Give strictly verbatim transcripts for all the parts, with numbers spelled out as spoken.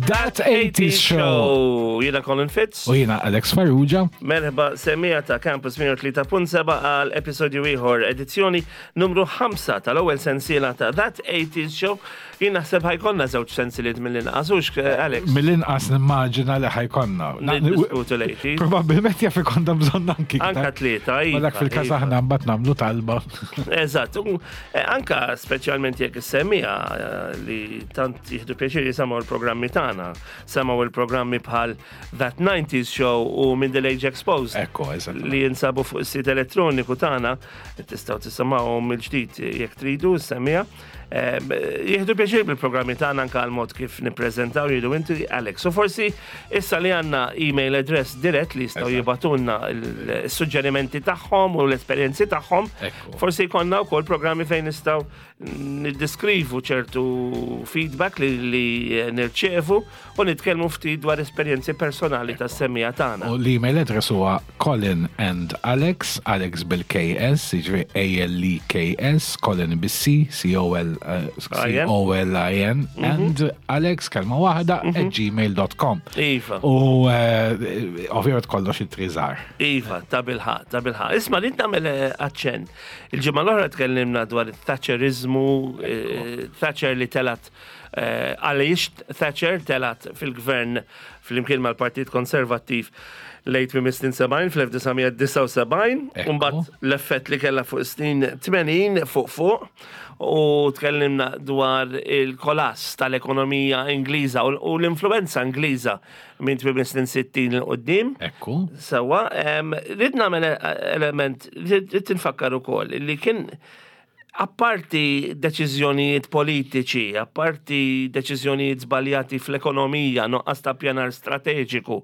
That eighties Show! Jiena Colin Fitz. U jiena Alex Farrugia. Merħba semmiegħa ta' Campus mija u tlieta punt sebgħa għal episodju ieħor, edizzjoni numru ħamsa tal-ewwel sensiela ta' That eighties Show. Jien naħseb ħa jkollna żewġ sensiliet mill-inqas, hux, Alex? Mill-inqas nimmaġina li ħa jkollna. Niddiskutu l-eighties. Probabilment jaf ikollna bżonn anki. Anka tlieta, Ma iva, dak fil-każ iva. aħna mbagħad nagħmlu talba. Eżatt, u, eh, anka speċjalment jekk is-semmiegħa eh, li tant jieħdu pjaċir jisimgħu l-programmi tagħna, semgħu il-programmi bħal That nineties Show u Middle Age Exposed. Ekku, eżatt. Li jinsabu fuq is-sit elettroniku tagħna, tistgħu tisimgħuhom mill-ġdid jekk tridu s-semmiegħa. Jieħdu pjaċir bil-programmi tagħna, anka għal mod kif nippreżentaw jidu inti, Alex. U forsi issa li għandna email address dirett li jistgħu Eżatt. jibagħtulna l-suġġerimenti tagħhom u l-esperjenzi tagħhom. Ekku. Forsi jkollna wkoll programmi fejn nistgħu niddeskrivu ċertu feedback li, li nirċevu u nitkellmu ftit dwar esperjenzi personali tas-semmiegħa tagħna. U l-email address huwa Colin and Alex, Alex bil-K S, jiġri A L E K S, Colin bil-C, C O L eh, I N. C O L I N, and Alex kelma waħda at gmail dot com. Iva. U eh, ovvjament kollox ittri żgħar. Iva, ta' bilħaqq, ta' bilħaqq. Isma', li nagħmel eh, aċċenn. Il-ġimgħa l-oħra tkellimna dwar il-Thatcherizmu, eh, Thatcher li telat, eh, għaliex Thatcher telat fil-gvern fl-imkien mal-Partit Konservattiv lejn tmiem is-snin sebgħin fl-elf disa' mija disgħa u sebgħin, Ekku. u mbagħad l-effett li kellha fuq snin tmenin fuq fuq, u tkellimna dwar il-kolass tal-ekonomija Ingliża u u l-influenza Ingliża minn tmiem is-snin sittin 'il quddiem. Ekku. Sewwa, em, rrid nagħmel element, rrid nfakkar ukoll li kien apparti deċiżjonijiet politiċi, apparti deċiżjonijiet żbaljati fl-ekonomija, nuqqas ta' pjanar strateġiku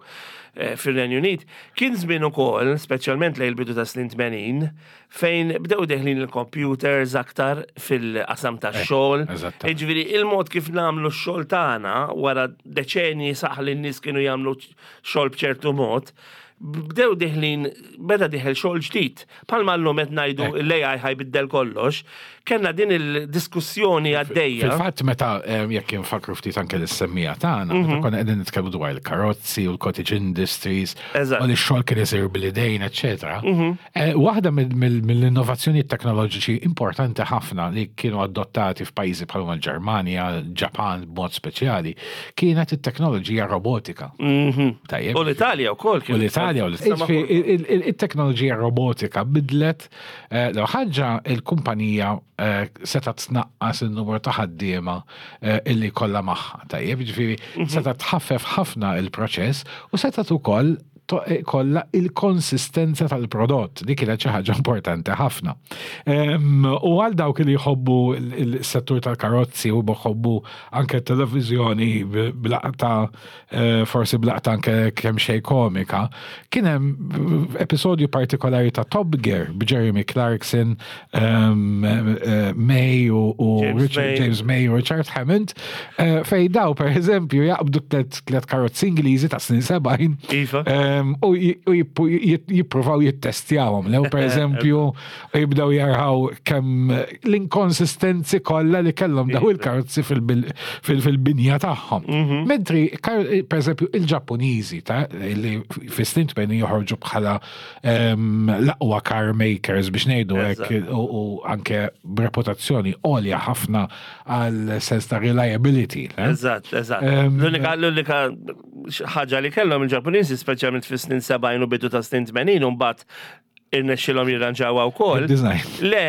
eh, fir-Renju Unit, kien żmien ukoll, speċjalment lejn il-bidu ta' snin tmenin, fejn bdew deħlin il-computers aktar fil-qasam tax-xogħol. Eżattament. Jiġifieri il-mod kif nagħmlu x-xogħol tagħna wara deċenji saħ li n-nies kienu jagħmlu xogħol b'ċertu mod, bdew deħlin, beda dieħel xogħol ġdid. Bħalma llum qed ngħidu l-A I ħa jbiddel kollox, kellna din il-diskussjoni għaddejja. Fil-fatt meta eh, jekk infakru ftit anke l-semmiegħa tagħna, meta konna qegħdin nitkellmu dwar il-karozzi u l-cottage industries, Eżatt. u li x-xogħol kien isir bil-idejn, eċetera. Eh, Waħda mill- mill- mill-innovazzjoni teknoloġiċi importanti ħafna li kienu adottati f'pajjiżi bħal l-Ġermanja, Ġapan b'mod speċjali, kienet it-teknoloġija robotika. Tajjeb. U l-Italja wkoll U l-Italja u Sama- l- Il-teknoloġija robotika bidlet eh, l ħaġa, il-kumpanija eh, setgħet tnaqqas il-numru ta' ħaddiema eh, illi kollha magħha. Tajjeb, ġifieri setgħet tħaffef ħafna il-proċess u setgħet ukoll to- eh, kollha il-konsistenza tal-prodott. Dik kienet xi ħaġa importanti ħafna. Em, U għal dawk li jħobbu il-settur tal-karozzi u jħobbu anke televizjoni b'laqta, eh, forsi b'laqta anke kemm xejn komika, kien hemm episodju partikolari ta' Top Gear b'Jeremy Clarkson, em, eh, May u u James Richard May. James May u Richard Hammond, eh, fej daw per eżempju jaqbdu tlet tlet karozzi Ingliżi ta' snin sebgħin Iva. em, u j- u jippu- jit- jippruvaw jittestjawhom. Lew per eżempju jibdew jaraw kemm l-inkonsistenzi kollha li kellhom daw il-karozzi fil-bil- fil- fil-binja tagħhom. Mentri kar- per eżempju il-Ġappuniżi ta' li fis-snin tmenin joħorġu bħala em, l-aqwa car makers biex ngħidu hekk Eżatt. u u anke b'reputazzjoni għolja ħafna għal sens ta' reliability. le? Eżatt, eżatt. Em, L-unika l-unika ħaġa li kellhom il-Ġappuniżi, speċjalment fis-snin sebgħin u bidu ta' snin tmenin, u mbagħad irnexxilhom jirranġawha wkoll. Il-design. Le,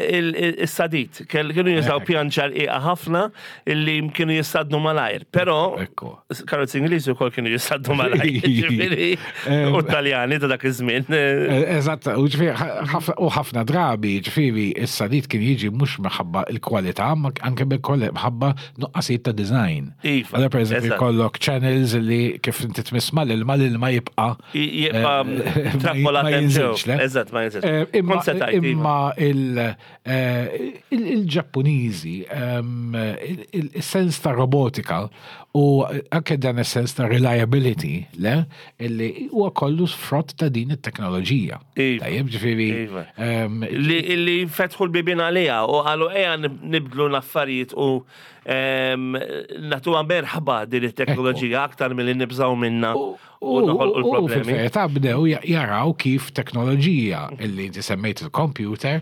il-sadit. Kienu jużaw Ekk. pjanċa rqiqa ħafna illi kienu jissadnu malajr. Però Ekku. karozzi Ingliżi wkoll kienu jissadnu malajr. Ġifieri, Em, u Taljani ta' dak iż-żmien. Eh, Eżatt, u ġifieri, ħafna- u ħafna drabi, ġifieri, is-sadid kien jiġi mhux minħabba il-kwalità, ma anke minħabba nuqqasijiet ta' design. Iva, Għalla per eżempju eżatt. kollok channels li kif inti tmiss mal-ilma, l-ilma jibqa' Jibqa' eh, trappolat ma hemm jinżilx. ġew. jiżenx, le? Eżatt, ma jiżenx. Eh, Imma Kont se tgħid, iva. Imma il- eh, il- il-Ġappuniżi, ehm, il- il- il-sens ta' robotika u anke dan is-sens ta' reliability, le, illi huwa kollu frott ta' din it-teknoloġija. Iva. Tajjeb, ġifieri. Iva. ehm, Li, li fetħu l-bibien għalija u qalu ejja nibdlu l-affarijiet u em, nagħtuha merħba din it-teknoloġija aktar milli nibżaw minna u noħolqu U l-problemi. fil-verità bdew ja- jaraw kif teknoloġija illi inti semmejt il-computer,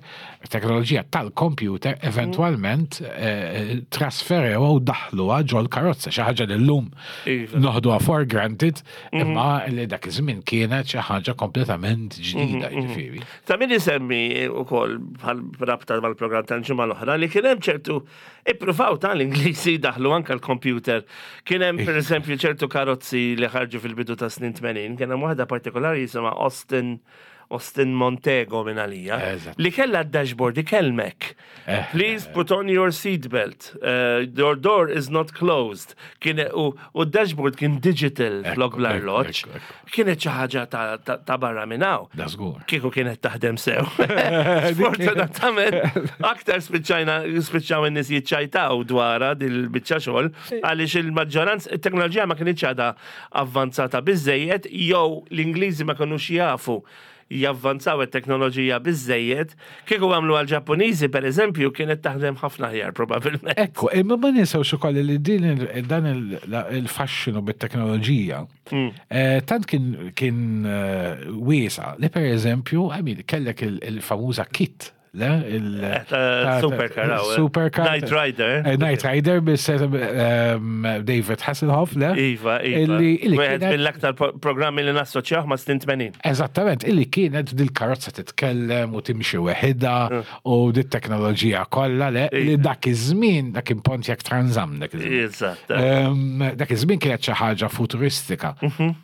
teknoloġija tal-computer eventualment eh, trasferew u daħluha ġol karozza, xi ħaġa li llum Iva. noħduha for granted, imma li dak iż-żmien kienet xi ħaġa kompletament ġdida, jiġifieri. Ta' min isemmi u koll bħal rabta mal-program tal-ġimgħa l-oħra li kien hemm ċertu ippruvaw tal-Ingliżi daħlu anka l-computer. Kien hemm per eżempju ċertu karozzi li ħarġu fil-bidu ta' snin tmenin, kien hemm waħda partikolari jisimha Austin Austin Montego minn għalija, Eżatt. li kella d-dashboard ikellmek. Eh. "Please put on your seatbelt. Uh, your door is not closed." Kien u, u d-dashboard kien digital flok Ekku, bl-arloġġ. ekku, ekku. Kienet xi ħaġa ta', ta, ta' barra minn hawn. Da żgur. Kieku kienet taħdem sew. Sfortunatament, aktar spiċċajna spiċċaw in-nies jiċċajtaw dwarha dil-biċċa xogħol għaliex il-maġġoranza it-teknoloġija ma kienx għadha avvanzata biżejjed jew l-Ingliżi ma kinux jafu javvanzaw it-teknoloġija biżejjed. Kieku għamlu għal-Ġappuniżi, per eżempju, kienet taħdem ħafna aħjar probabbilment. Ekku, imma ma ninsewx ukoll li din il- dan il- il-fasċinu bit-teknoloġija eh, tant kien kien eh, wiesa li per eżempju, I mean, kellek il- il-famuża KITT, le? Il- Eh, ta' supercar, aw, eh. Supercar. Knight Rider. Eh, Knight Rider bis ehm, David Hasselhoff, le? Iva, iva. Illi illi Wieħed kienet- mill-aktar pro- programmi li nassoċjaw ma' snin tmenin. Eżattament, illi kienet dil-karozza titkellem u timxi weħida u dit-teknoloġija kollha, le, li Iva. dak iż-żmien, dak kien Pontiac Trans Am dak iż-żmien. Eżatt. Ehm, Dak iż-żmien kienet xi ħaġa futuristika.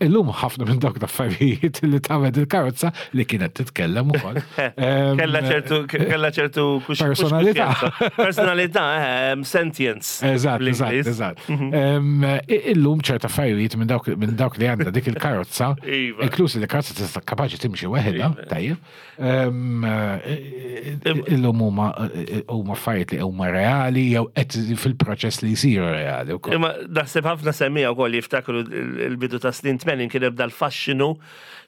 Illum ħafna minn dawk l-affarijiet li tagħmel il-karozza li kienet titkellem ukoll. Ehm, Kella ċertu, kella ċertu kux- Personalità. kuxjenza. Personalità, eh, sentience. Eżatt, eżatt, bl-Ingliż. eżatt. Ehm, i- Illum ċerta affarijiet minn dawk minn dawk li għandha dik il-karozza, Iva. inkluż li karozza tista' kapaċi timxi weħidha, tajjeb. Ehm, eh, Illum huma huma affarijiet li huma reali jew qed fil-proċess li jsiru reali wkoll. Imma naħseb ħafna semmija wkoll jiftakru il- il-bidu ta' snin tmenin kien hemm dal-fasċinu,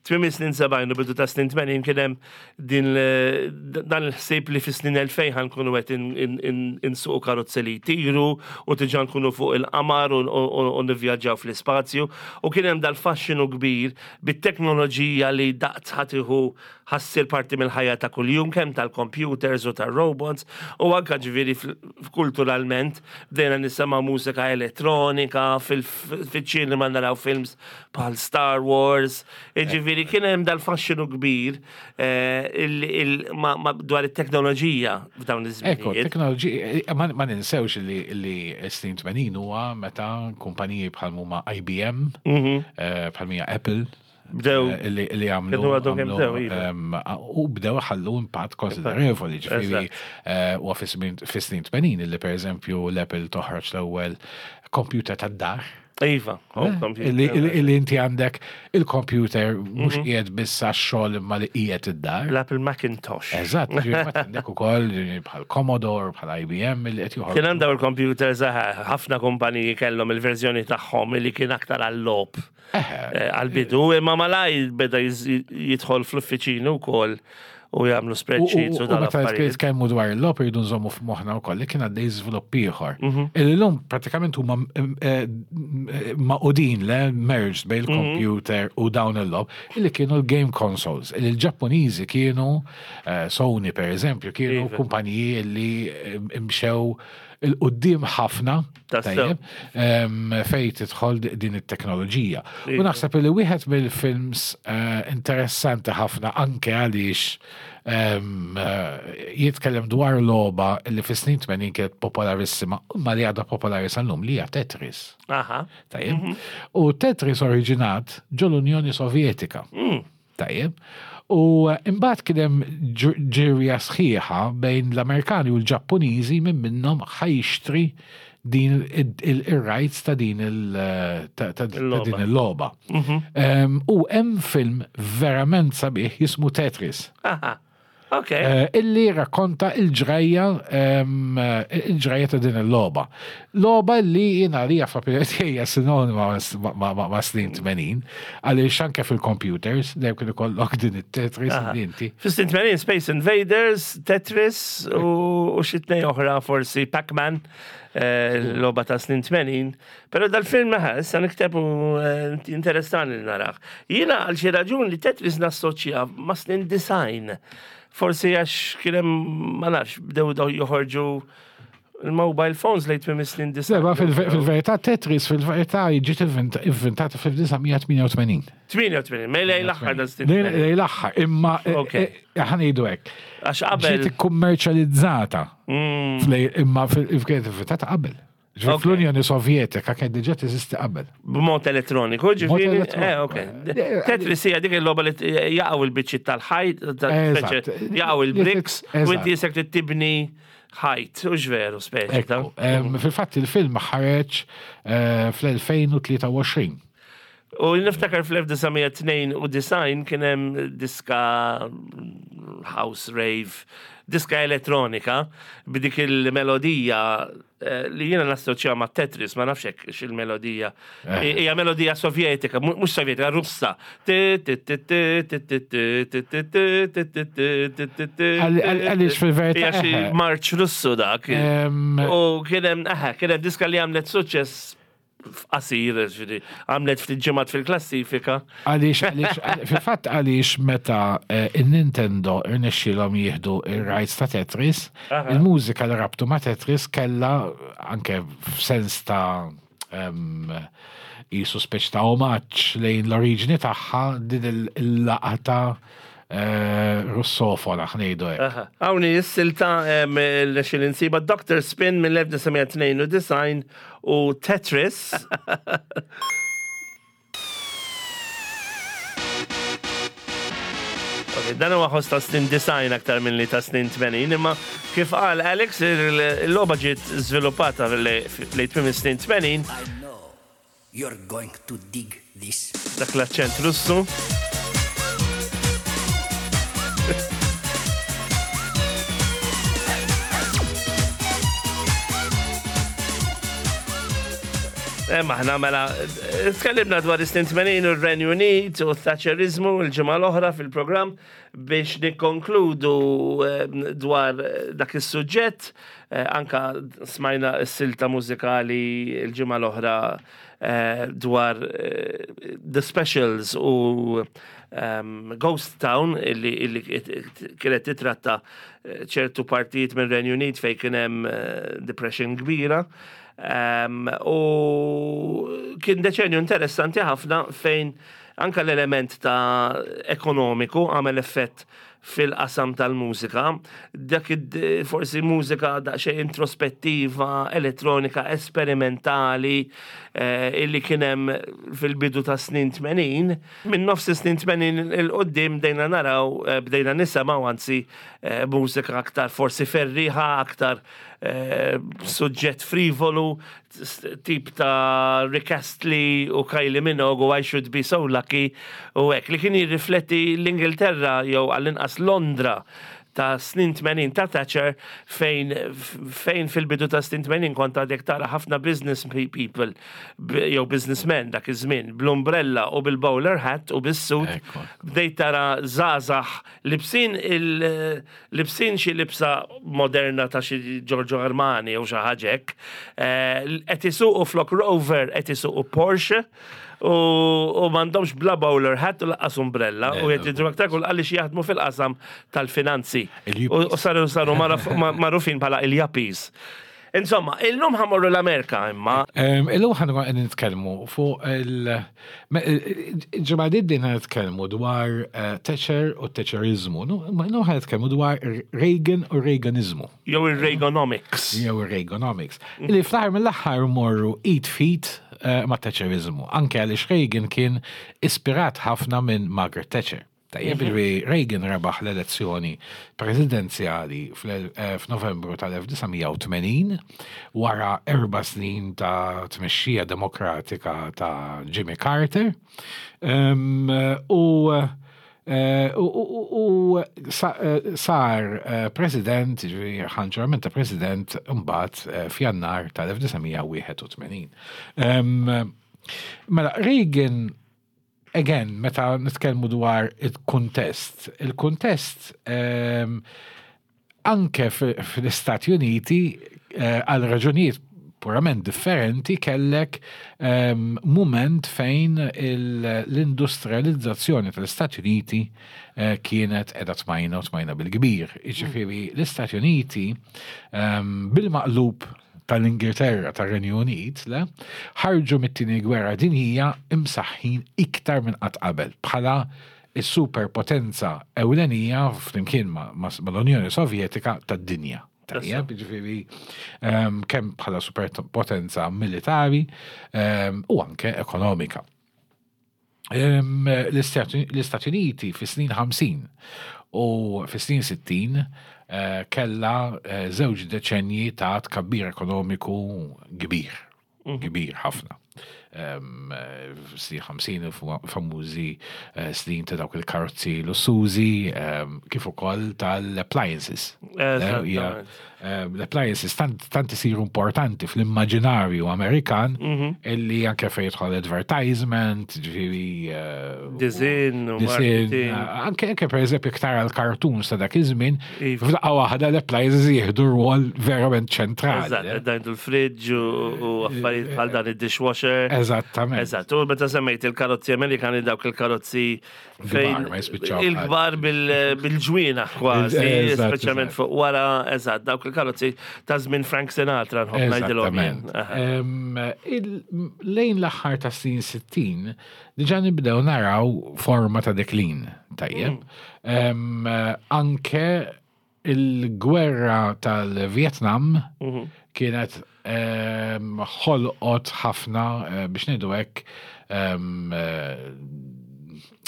tmiem snin sebgħin u bidu ta' snin tmenin kien hemm din l- dan il-ħsieb li fis-snin elfejn ħa nkunu qed in- in- in- insuqu karozzi li jtiru u diġà nkunu fuq il-qamar u- u u nivvjaġġaw fl-ispazju u kien hemm dal-fasċinu kbir bit-teknoloġija li daqt ħa tieħu ħa ssir parti mill-ħajja ta' kuljum, kemm tal-computers u tal-robots u anka ġifieri fl- kulturalment bdejna nisimgħu mużika elettronika, fil-ċinema naraw films bħal Star Wars, ġifieri kien hemm dal-fasċinu kbir eh, il- il- ma- ma- dwar it-teknoloġija f'dawn Ekku, iż-żminijiet. teknoloġija, ma, ma ninsewx li, li snin tmenin huwa meta kumpaniji bħal huma I B M, eh, bħal mija Apple, Bdew- eh, li, li għamlu. Kienu għadhom kemm għamlu, bdew, iva. em, u bdew ħallu impatt konsiderevoli, ġifieri, eh, u fis-snin tmenin li per eżempju l-Apple toħroġ l-ewwel computer tad-dar. Iva, home computer. Illi illi- illi inti għandek il-computer mhux qiegħed biss għax-xogħol imma li qiegħed id-dar. L-Apple Macintosh. Eżatt, ġifieri mbagħad għandek ukoll bħal Commodore, bħal I B M li qed joħorġu. Kien hemm dawn il-computers, eh, ħafna kumpaniji kellhom il-verżjoni tagħhom li kien aktar għall-logħob eh, għal-bidu, imma malaj beda jiz- jidħol fl-uffiċinu wkoll u jagħmlu U spreadsheets u u meta dal-affarijiet. nitkellmu dwar il-logħob irridu nżommu f'moħħna wkoll li kien għaddej żvilupp ieħor. Mhm. Illum pratikament huma eh, magħqudin, le, merged bejn Mhm. il-computer u dawn il-logħob illi kienu l-game consoles. Illi l-Ġappuniżi kienu eh, Sony per eżempju, kienu Iva. kumpaniji li eh, imxew 'il quddiem ħafna, Tassew. tajjeb, em, fej tidħol din it-teknoloġija. U Iva. naħseb li wieħed mill-films eh, interessanti ħafna anke għaliex em, eh, jitkellem dwar logħba li fis-snin tmenin kienet popolarissima, imma li għadha popolari sal-lum, li hija Tetris. Aha. Tajjeb. U Tetris oriġinat ġol Unjoni Sovjetika. Tajjeb. U eh, imbagħad kien hemm ġ- ġirja sħiħa bejn l-Amerikani u l-Ġappuniżi minn minnhom ħa jixtri din il-rights ta' din il- din il-logħba. Mhm. U hemm film verament sabiħ jismu Tetris. Aha. Ok. Eh, illi rakkonta il-ġrajja il-ġrajja ta' din il-logħba. Logħba li jiena li fl-opinjoni tiegħi sinonima ma' snin tmenin, għaliex anke fil-computers dejjem kien ikollok din it-Tetris li inti. Fis-snin tmenin Space Invaders, Tetris u xi tnejn oħra, forsi Pac-Man, eh, logħba ta' snin tmenin. Pero dal-film meħa, issa niktebu, eh, interessani li naraħ. Jiena għal xi raġun li Tetris nassoċja ma' snin disgħin. Forsi għax kien hemm, ma nafx, bdew daw joħorġu il-mobile phones lejn tmiem snin disgħin. Seba, fil-verità Tetris fil-verità ġiet inventata fil-elf disa' mija tmienja u tmenin. tmienja u tmenin, ma lejn l-aħħar ta' snin. Lejn l-aħħar, imma Ok. ħa ngħidu hekk. Għax qabel. Ġiet kummerċjalizzata. Mm, Imma kienet inventata qabel. Ġifieri Ok. fl-Unjoni Sovjetika kien diġà teżisti qabel. B'mod elettroniku, ġifieri. Elettroniku. Eh, ok. Eh, Tetris hija dik il-logħba li jaqgħu il-biċċiet tal-ħajt, Eżatt. jaqgħu il-bricks, u Eżatt. inti jisek li tibni ħajt, u veru speċi. ta' Ekku. Em, Fil-fatt il-film ħareġ eh, fl-elfejn u tlieta u għoxrin. U niftakar fl-elf disa' mija tnejn u disgħin kien hemm diska house rave, diska elettronika b'dik il-melodija eh, li jiena nassoċja ma' Tetris, ma nafx hekk x'il-melodija. Eh. Hija melodija sovjetika, mu- mhux sovjetika, Russa. Għal- għal- Għaliex fil-verità. Hija xi eħe. marċ Russu dak. Em, U kien hemm, eħe, kien hemm diska li għamlet suċċess f'qasir, ġifieri, għamlet ftit ġimgħat fil-klassifika. Għaliex, għaliex, fil-fatt għaliex meta eh, il-Nintendo irnexxilhom jieħdu il-rights ta' Tetris, Aha. il-mużika li rabtu ma' Tetris kella anke f'sens ta' em, jisu speċ ta' omaġġ lejn l-oriġini tagħha din il-laqta eh, russofona, ħa ngħidu hekk. Aha. Hawnni s-silta l-xil insiba Doctor Spin mill-elf disa' mija tnejn u disgħin u Tetris. Ok, dan huwa ħoss ta' snin disgħin aktar minn li ta' snin tmenin, imma kif qal Alex, il-logħba ġiet żviluppata lejn tmiem snin tmenin, I know you're going to dig this. Dak l-aċċent Russu. Eh, Maħna mela, eh, tkellimna dwar is-snin tmenin u r-Renju Unit u t-Thatcherizmu l-ġimgħa l-oħra fil-programm biex nikkonkludu eh, dwar eh, dak is-suġġett. eh, Anka smajna s-silta mużikali l-ġimgħa l-oħra eh, dwar eh, The Specials u um, Ghost Town illi, illi kienet titratta eh, ċertu partijiet minn Renju Unit fej kien hemm eh, depression kbira. Um, u kien deċenju interessanti ħafna fejn anka l-element ta' ekonomiku għamel effett fil-qasam tal-mużika. Dak id- forsi mużika daqsxejn introspettiva, elettronika, esperimentali, eh, illi kien hemm fil-bidu ta' snin tmenin. Minn nofs snin tmenin il-qoddim bdejna naraw, eh, bdejna nisimgħu anzi eh, mużika aktar forsi ferriħa, aktar eh, suġġett frivolu, tip ta' Rick Astley u Kylie Minogue u I Should Be So Lucky u hekk li kien jirrifletti l-Ingilterra jew għall-inqas Londra ta' snin tmenin ta' Thatcher, fejn fejn fil-bidu ta' snin tmenin kont għadek tara ħafna business people jew businessmen dak iż-żmien bl-umbrella u bil-bowler hat u bis-suit. Ekku. Bdejt tara żgħażagħ libsin il libsin xi libsa moderna ta' xi Giorgio Armani jew xi ħaġa hekk. Eh, Qed isuqu flok Rover, qed isuqu Porsche u, u m'għandhomx bla bowler hat u lanqas umbrella u qed jidhru aktar kull għaliex jaħdmu fil-qasam tal-finanzi. Il-yuppies. U u saru saru maraf- ma- magħrufin bħala il-yuppies. Insomma, illum ħa mmorru l-Amerika imma. Em, Illum ħa nkunu qegħdin nitkellmu fuq il- me- il-ġimgħa li għaddiet nitkellmu dwar eh, Thatcher u Thatcherizmu. Illum ħa nitkellmu dwar Reagan u Reaganizmu. Jew il-Reaganomics. Jew Reaganomics. Illi fl-aħħar mill-aħħar morru id f'id eh, ma' Thatcherizmu. Anke għaliex Reagan kien ispirat ħafna minn Margaret Thatcher. Tajjeb, ġifieri Reagan rebaħ l-elezzjoni presidenzjali fl- eh, f'Novembru tal-elf disa' mija u tmenin wara erba' snin ta' tmexxija demokratika ta' Jimmy Carter. Um, u eh, u, u, u sa, eh, sar eh, president, ġifieri ħa ġurament ta' president mbagħad eh, f'Jannar tal-elf disa' mija u wieħed u tmenin. Um, Mela, Reagan, again, meta nitkellmu dwar il-kuntest, il-kuntest um, anke fl-Istati Uniti eh, għal raġunijiet purament differenti kellek um, moment fejn l-industrializzazzjoni tal-Istati Uniti eh, kienet qegħda tmajna u tmajna bil-kbir. Jiġifieri l-Istati Uniti um, bil-maqlub tal-Ingilterra, tar-Renju Unit, le, ħarġu mit-tieni gwerra dinjija imsaħħin iktar minn qatt qabel bħala is-superpotenza ewlenija flimkien ma' ma' mal-Unjoni Sovjetika tad-dinja. Tajjeb, ġifieri um, kemm bħala superpotenza militari um, u anke ekonomika. Um, L-Istati l-Istati Uniti fi snin ħamsin u fi snin sittin eh, kella eh, żewġ deċenji ta' tkabbir ekonomiku kbir, kbir ħafna. Um, eh, Snin ħamsin famużi eh, snin ta' dawk il-karozzi lussużi, um, kif ukoll tal-appliances. Eżattament. Eh, L-appliances tant, tant isiru importanti fl-immaġinarju Amerikan illi anke fejn jidħol advertisement, ġifieri eh, Design u design, marketing. eh, anke anke per eżempju iktar għal cartoons ta' dak iż-żmien, Iva. f'daqqa waħda l-appliances jieħdu rwol verament ċentrali. Eżatt, dajn il-fridge u u affarijiet bħal dan, id-dishwasher. Eżattament. Eżatt, u meta semmejt il-karozzi Amerikani, dawk il-karozzi fejn Kbar, ma jispiċċaw. Il-kbar bil- bil-ġwienaħ kważi, Eżatt, speċjalment eżatt. fuq wara, eżatt, dawk il-karozzi ta' żmien Frank Sinatra nħobb ngħidilhom jien. Eżattament. Aha. Em, il- Lejn l-aħħar ta' snin sittin, diġa nibdew naraw forma ta' deklin, tajjeb. Em, Anke il-gwerra tal-Vietnam kienet em, ħolqot ħafna, eh, biex ngħidu hekk, em, eh,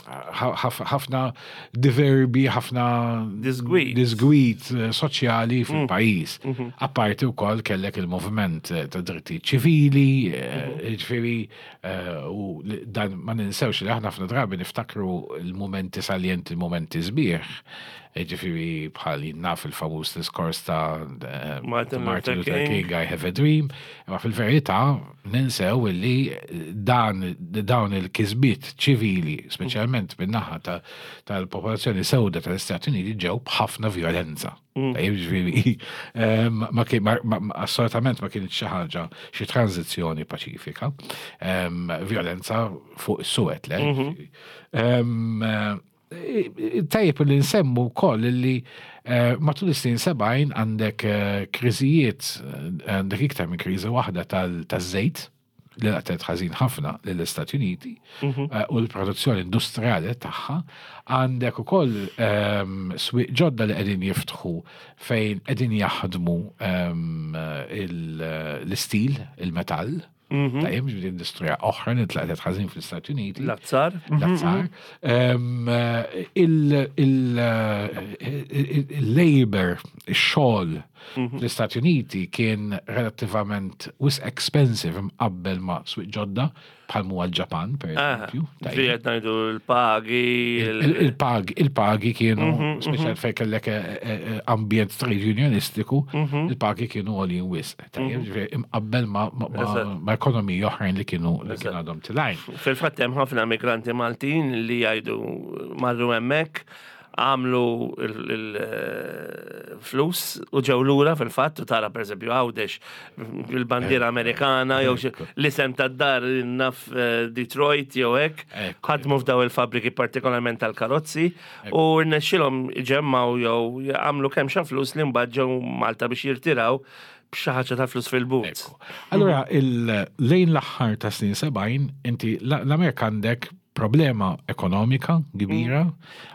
ħaf- ħafna diverbi, ħafna Disgwid. disgwid eh, soċjali fil-pajjiż. Apparti wkoll kellek il-moviment eh, ta' drittijiet ċivili, eh, ġifieri, eh, u li- dan ma ninsewx li aħna ħafna drabi niftakru il-momenti saljenti, il-momenti sbieħ, eh, ġifieri bħal naf il-famuż diskors ta' eh, Martin ta' Martin Luther Luther King. King, "I Have a Dream", ma fil-verità ninsew illi dan dawn il-kisbiet ċivili, speċjalment min-naħa ta- tal-popolazzjoni sewda tal-Istati Uniti, ġew b'ħafna violenza. Tajjeb, ġifieri, em, ma kien- ma- ma- ma- assolutament ma kienx xi ħaġa, xi tranzizzjoni paċifika. Em, Violenza fuq is-suwed, le? Ġifieri. Em, eh, Tajjeb li nsemmu wkoll li eh, matul is-snin sebgħin għandek eh, kriżijiet, eh, għandek iktar minn kriżi waħda tal- taż-żejt li laqtet ħażin ħafna lill-Istati Uniti eh, u l-produzzjoni industrijali tagħha. Għandek ukoll ehm, swieq ġodda li qegħdin jiftħu fejn qegħdin jaħdmu ehm, il- l-istil, il-metall. Tajjeb, ġifieri industrija oħra li tlaqtet ħażin fl-Istati Uniti. L-azzar. L-azzar. Ehm, il- il- il- Il-labor, il-xogħol fl-Istati Uniti kien relattivament wisq expensive mqabbel ma' swieq ġodda bħal huwa l-Ġapan, per eżempju. Tajjeb. Ġifieri qed ngħidu l-pagi. il- Il- Il-pagi, il-pagi kienu, speċjal fejn kellek eh, eh, ambjent trade unionistiku, il-pagi kienu għolin wisq. Tajjeb, ġifieri imqabbel ma' ma- ma' Eżatt. ma' ekonomiji oħrajn li kienu li kienu għadhom tilgħin. Fil-fatt hemm ħafna migranti Maltin li jgħidu marru hemmhekk, għamlu il-flus u ġew lura fil-fatt, u tara per eżempju Għawdex il-bandiera Amerikana jew xi- l-isem tad-dar naf eh, Detroit jew hekk, Ekku. ħadmu f'daw il-fabriki, partikolarment tal-karozzi, u rnexxilhom ġemmaw jew għamlu kemm xa flus li mbagħad ġew Malta biex jirtiraw b'xi ħaġa ta' flus fil-but. Ekku. Allora, il- lejn l-aħħar ta' snin sebgħin, inti l- l-Amerika għandek problema ekonomika kbira,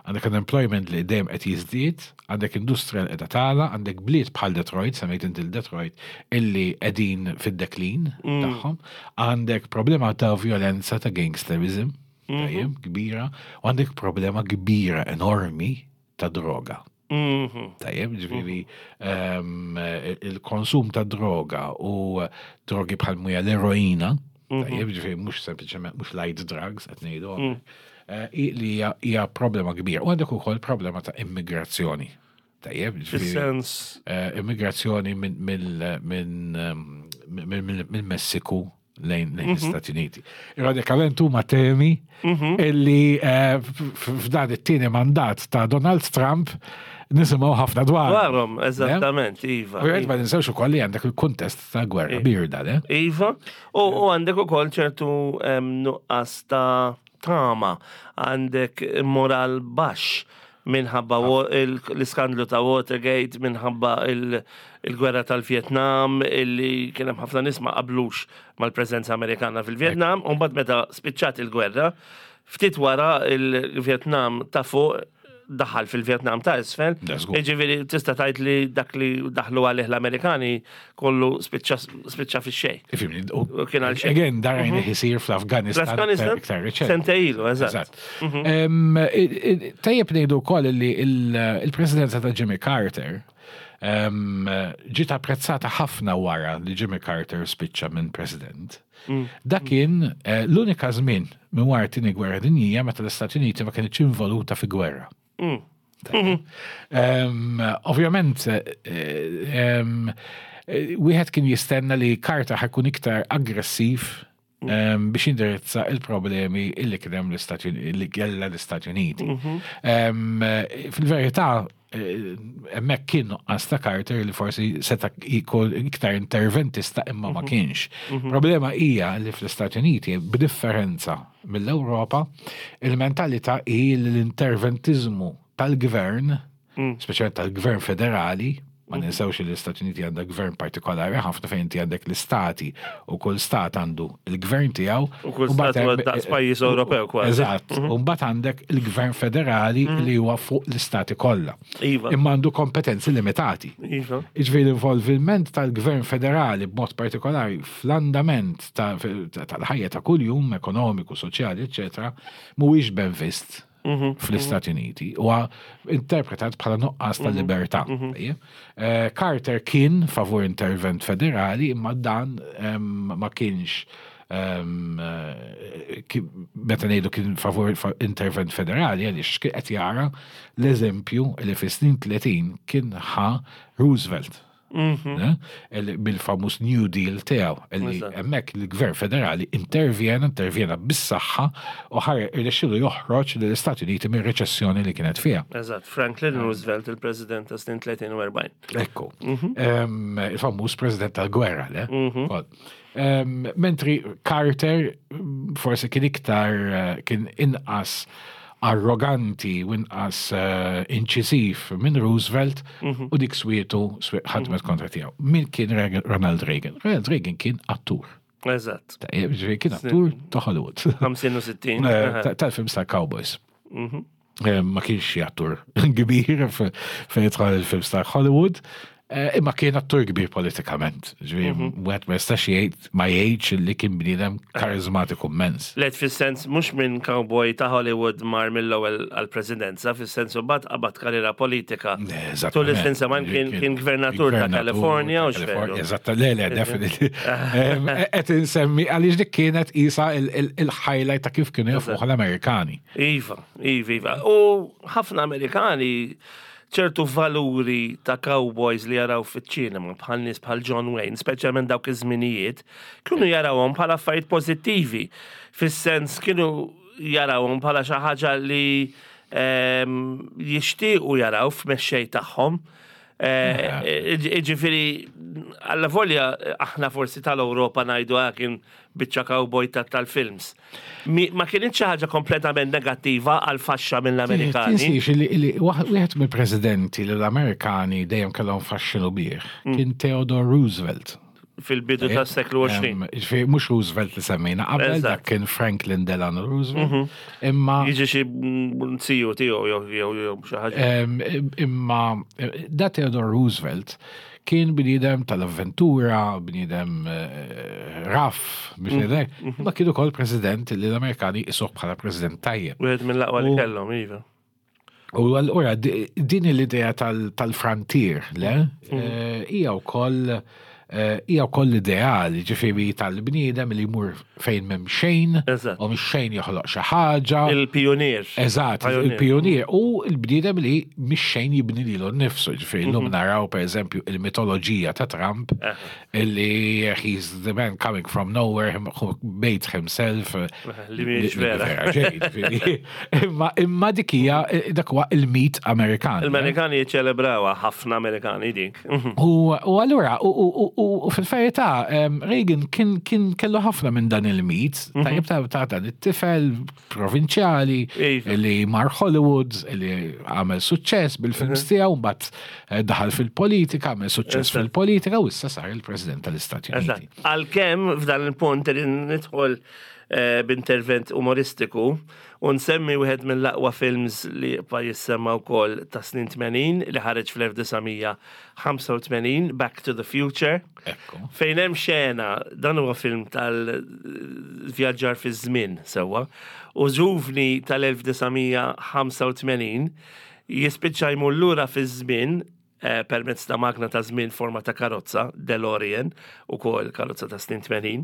għandek unemployment li dejjem qed jiżdied, għandek industrija li qiegħda tagħla, għandek bliet bħal Detroit, semmejt inti l-Detroit, illi qegħdin fid-deklin tagħhom, għandek problema ta' violenza, ta' gangsterism. Tajjeb, kbira, u għandek problema kbira enormi ta' droga. Mhm. Tajjeb, ġifieri ehm, il-konsum ta' droga u drogi bħal muja l-eroina, tajjeb, ġifieri mhux sempliċement mhux light drugs qed ngħidu, eh, i- li hija- hija problema kbira. U għandek ukoll problema ta' immigrazzjoni. Tajjeb, ġifieri Fis-sens eh, immigrazzjoni minn mill- minn, ehm, minn- minn- minn Messiku lejn lejn l-Istati Uniti. Ironikament huma temi illi eh, f- f- f'dan it-tieni mandat ta' Donald Trump nisimgħu ħafna dwar. dwarhom, eżattament, iva. Ovvjament ma ninsewx ukoll li għandek il-kuntest ta' gwerra birda, le? Iva, u u għandek ukoll ċertu em, nuqqas ta' tama, għandek moral baxx minħabba wa- il- l-iskandlu ta' Watergate, minħabba il- il-gwerra tal-Vietnam, illi kien hemm ħafna nies ma qablux mal-preżenza Amerikana fil-Vietnam, u mbagħad meta spiċċat il-gwerra, ftit wara il-Vietnam ta' fuq daħal fil-Vietnam ta' isfel, Da żgur. Ġifieri tista' tgħid li dak li daħlu għalih l-Amerikani kollu spiċċa spiċċa fix-xejn. Ifhimni, u- U kien għal xejn. Again, darajna jisir fl-Afganistan. L-Afganistan iktar riċenti. sentejn ilu, eżatt. Eżatt. Em, i- i- Tajjeb ngħidu wkoll li il- il-presidenza ta' Jimmy Carter em, ġiet apprezzata ħafna wara li Jimmy Carter spiċċa minn president. Dak kien eh, l-unika żmien minn wara t-tieni gwerra dinjija meta l-Istati Uniti ma kienx involuta fi gwerra. Tajjeb. Em, Ovvjament, eh, em, eh, wieħed kien jistenna li Carter ħa jkun iktar aggressiv em, biex indirizza il-problemi illi kien hemm l-Istati Uniti, li kellha l-Istati Uniti. Em, eh, Fil-verità, eh, hemmhekk kien nuqqas ta' Carter li forsi seta' jkun iktar interventista imma ma kienx. Problema hija li fl-Istati Uniti, b'differenza mill-Ewropa, il-mentalità hi li l-interventizmu tal-gvern, speċjalment tal-gvern federali, ma ninsewx li l-Istati Uniti għandha gvern partikolari ħafna fejn inti għandek l-istati u kull stat għandu il-gvern tiegħu. U kull mbagħad stat huwa hemm- daqs pajjiż Ewropew kważi. Eżatt. U mbagħad għandek il-gvern federali li huwa fuq l-istati kollha. Iva. Imma għandu kompetenzi limitati. Iva. Iġifieri l-involviment tal-gvern federali b'mod partikolari fl-andament ta- ta- tal-ħajja ta' kuljum, ekonomiku, soċjali, eccetera, mhuwiex ben vist fl-Istati Uniti u interpretat bħala nuqqas ta' libertà. Tajjeb. Eh, Carter kien favur intervent federali, imma dan em, ma kienx em, eh, ki- meta ngħidu kien favur fa- intervent federali għaliex kien qed jara l-eżempju li fis-snin tletin kien ħa Roosevelt. Eh, il- Bil-famuż New Deal tiegħu illi Eżatt. hemmhekk il-Gvern Federali intervjena, intervjena bis-saħħa u ħar irnexxielu joħroġ lill-Istati Uniti mir-reċessjoni li kienet fiha. Eżatt, Franklin Roosevelt, il-president ta' snin tletin u erbgħin. Ekku. Em, Il-famuż president tal-gwerra, le? Kol. Em, Mentri Carter mm, forsi kien iktar, eh, kien inqas arroganti u inqas eh, inċisiv minn Roosevelt u dik swietu swi- ħadmet kontra tiegħu. Min kien Reagan- Ronald Reagan? Ronald Reagan kien attur. Eżatt. Tajjeb, ġifieri kien attur ta' Hollywood. ħamsin u sittin. Eh, ta- Tal-films ta' Cowboys. Eh, Ma kienx xi attur kbir fe- fejn jidħol il-films ta' Hollywood, eh, imma kien attur kbir politikament. Ġifieri, wieħed ma jistax jgħid ma jgħidx li kien bniedem karizmatiku immens. Let fis-sens mhux minn cowboy ta' Hollywood mar mill-ewwel għall-presidenza, fis-sens u bad qabad karriera politika. Eżattament. Tul is-snin sebgħin kien kien gvernatur ta' California u x'veru. Eżatt, le, le, definitely. Em, Qed insemmi għaliex dik kienet isa il- il- il-highlight ta' kif kienu jafuh l-Amerikani. Iva, iva, iva. U ħafna Amerikani ċertu valuri ta' cowboys li jaraw fiċ-ċinema bħal nies bħal John Wayne, speċjalment dawk iż-żminijiet, kienu jarawhom bħala affarijiet pożittivi. Fis-sens kienu jarawhom bħala xi ħaġa li ehm, jixtiequ jaraw f'mexxej tagħhom. Eh, Ġifieri, alla volja aħna forsi tal-Ewropa ngħidu "Ah, kien biċċa cowboy ta' tal-films." Mi- Ma kienx xi ħaġa kompletament negattiva għal faxxa mill-Amerikani. Tinsiex li li waħ- wieħed mill-presidenti li l-Amerikani dejjem kellhom faxxinu bih kien Theodore Roosevelt. Fil-bidu tas-seklu għoxrin. Em, Ġifieri mhux Roosevelt li semmejna qabel, Eżatt. dak kien Franklin Delano Roosevelt. Imma Jiġi xi mm, siju tiegħu jew jew jew xi ħaġa. em, imma eh, da Theodore Roosevelt Kien bniedem tal-avventura, bniedem eh, rough, biex ngħidlek, ma kien ukoll president li l-Amerikani jqisuh bħala president tajjeb. Wieħed mill-aqwa li U- kellhom, iva. U allura di- din l-idea tal- tal-frontier, le? Eh, Hija wkoll eh, hija wkoll l-ideal, ġifieri tal-bniedem li jmur fejn m'hemm xejn, Eżatt. u mhux xejn joħloq xi ħaġa. Il-pionier. Eżatt, Pioneer. il-pionier u il-bniedem li mhix xejn jibni lilu nnifsu. Ġifieri llum naraw per eżempju il-mitoloġija ta' Trump illi he's the man coming from nowhere, him- who made himself. eh, Li mhijiex vera. xejn, ġifieri. Imma imma dik hija dak huwa il-mit Amerikan. Il-Amerikani jiċċelebrawha, ħafna Amerikani dik. U u allura, u- u- u u fil-verità, em, Reagan kien kien kellu ħafna minn dan il-mit, tajjeb ta' ta' dan it-tifel provinċjali Iva. li mar Hollywood, li għamel suċċess bil-films tiegħu, mbagħad eh, daħal fil-politika, għamel suċċess Eżatt. fil-politika u issa sar il-President tal-Istati Uniti. Eżatt. Għalkemm f'dan il-punt li nidħol eh, b'intervent umoristiku u nsemmi wieħed mill-aqwa films li pa jissemma wkoll ta' snin tmenin li ħareġ fl-elf disa' mija ħamsa u tmenin, Back to the Future. Ekku. Fejn hemm xena, dan huwa film tal-vjaġġar fi żmien sewwa, u ġuvni tal-elf disa' mija ħamsa u tmenin jispiċċa jmur lura fi żmien eh, permezz ta' magna ta' żmien forma ta' karozza, DeLorean, ukoll karozza ta' snin tmenin,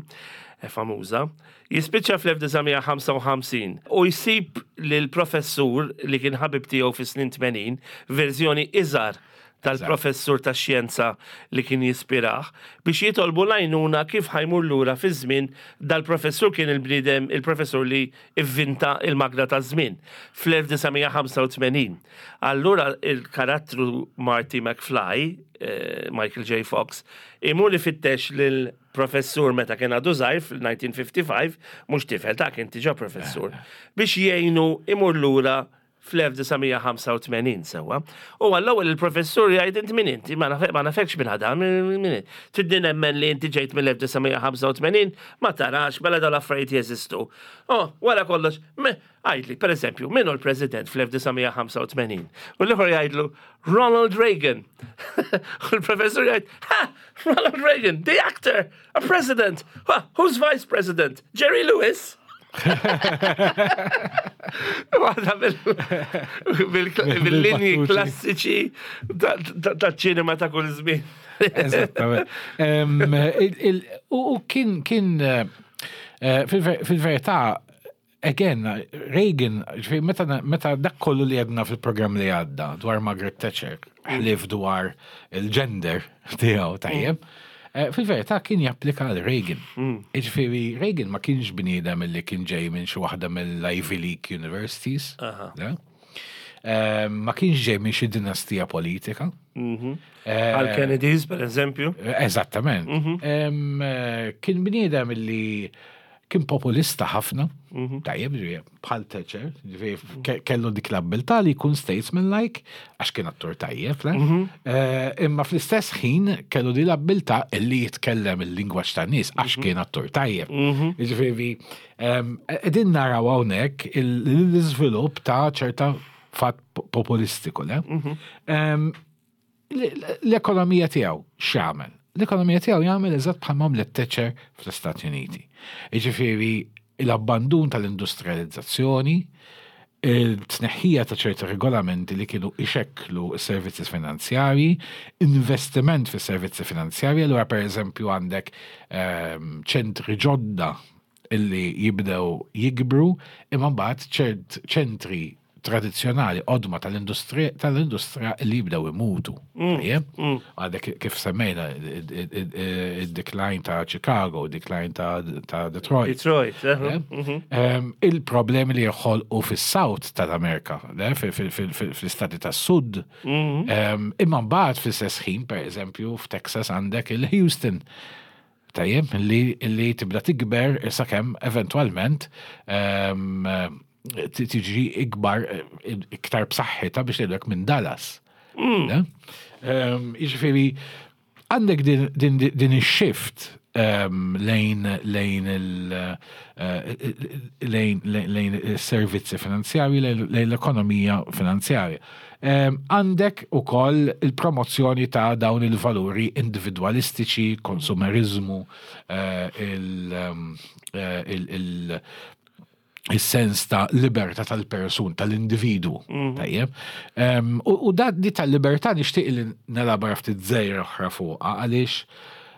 eh, famuża. Jispiċċa fl-elf disa' mija ħamsa u ħamsin u jsib lil professur li kien ħabib tiegħu fi snin tmenin, verżjoni iżgħar tal-professur ta' xjenza li kien jispirah, biex jitolbu l-għajnuna kif ħa jmur lura fi żmien. Dal-professur kien il-bniedem, il-professur li ivvinta il-magna ta' żmien fl-elf disa' mija ħamsa u tmenin. Allura il-karattru Marty McFly, eh, Michael J. Fox, imur ifittex lil professur meta kien għadu żgħir fil-elf disa' mija ħamsa u ħamsin, mhux tifel ta' kien diġà professur, biex jgħinu imur lura fl-elf disa' mija ħamsa u tmenin sewwa. U għall-ewwel il-professur jgħid: "Inti min inti, ma nafek ma nafekx minn ħada, min min Tridni nemmen li inti ġejt mill-elf disa' mija ħamsa u tmenin, ma tarax, mela dawn l-affarijiet jeżistu. Oh, wara kollox, me- għidli, per eżempju, min hu l-president fl-elf disa' mija ħamsa u tmenin? U l-ieħor jgħidlu: "Ronald Reagan." U l-professur jgħid: "Ha, Ronald Reagan, the actor, a president. Ha, who's vice president? Jerry Lewis?" Waħda bil-linji Bil-battuti. klassiċi ta' ċinema ta' kull żmien. Eżattament. Em, il- il- U u kien kien eh, eh, fil-ver- fil-verità, again, Reagan, ġifieri, meta meta dak kollu li għedna fil-programm li għadda dwar Margaret Thatcher, ħlief dwar il-gender tiegħu, tajjeb, eh, fil-verità kien japplika għal Reagan. Ġifieri, Reagan ma kienx bniedem li kien ġej minn xi waħda mill-Ivy League universities. Le? Eh, Ma kienx ġej minn xi dinastija politika. Eh, Għal Kennedys, per eżempju. Eżattament. Em, eh, Kien bniedem li kien populista ħafna, tajjeb, ġifieri, bħal Thatcher, ġifieri, ke- kellu dik l-abbiltà li jkun statesman-like, għax kien attur tajjeb, le? Eh, Imma fl-istess ħin kellu di l-abbiltà li jitkellem il-lingwaġġ tan-nies għax kien attur tajjeb. Ġifieri, em, qegħdin naraw hawnhekk il- l-iżvilupp ta' ċerta fatt populistiku, le? Em, L-ekonomija tiegħu x'jagħmel? L-ekonomija tiegħu jagħmel eżatt bħal għamlet Thatcher fl-Istati Uniti. Jiġifieri l-abbandun tal-industrializzazzjoni, il-tneħħija ta' ċerti regolamenti li kienu ixekklu s-servizzi finanzjarji, investiment fis servizzi finanzjarji, allura per eżempju għandek ehm, ċentri ġodda illi jibdew jikbru, imma mbagħad ċert ċentri tradizzjonali qodma tal-industrija tal-industrija li jibdew imutu. Tajjeb? Għandek kif semmejna id-decline ta' Chicago, decline ta' ta' Detroit. Detroit. eh? Le? Em, Il-problemi li joħolqu fis-South tal-Amerika, le? Fil- fil- fil- fil- fl-istati tas-Sud. Em, Imma mbagħad fl-istess ħin, per eżempju, f'Texas għandek il-Houston. Tajjeb, li, li tibda tikber sakemm eventwalment em, ti- tiġi ikbar, eh, iktar b'saħħitha biex ngħidlek minn Dallas. Le? Em, Jiġifieri, għandek din, din, din ix-shift em, lejn lejn il eh, lejn lejn il-servizzi finanzjarji, lejn lejn l-ekonomija finanzjarja. Em, Għandek ukoll il-promozzjoni ta' dawn il-valuri individualistiċi, konsumerizmu, eh, il- em, eh, il- il- il-sens ta' libertà tal-persun, tal-individu. Tajjeb. Em, U u da di tal-libertà nixtieq li nelabora ftit żgħir oħra fuqha għaliex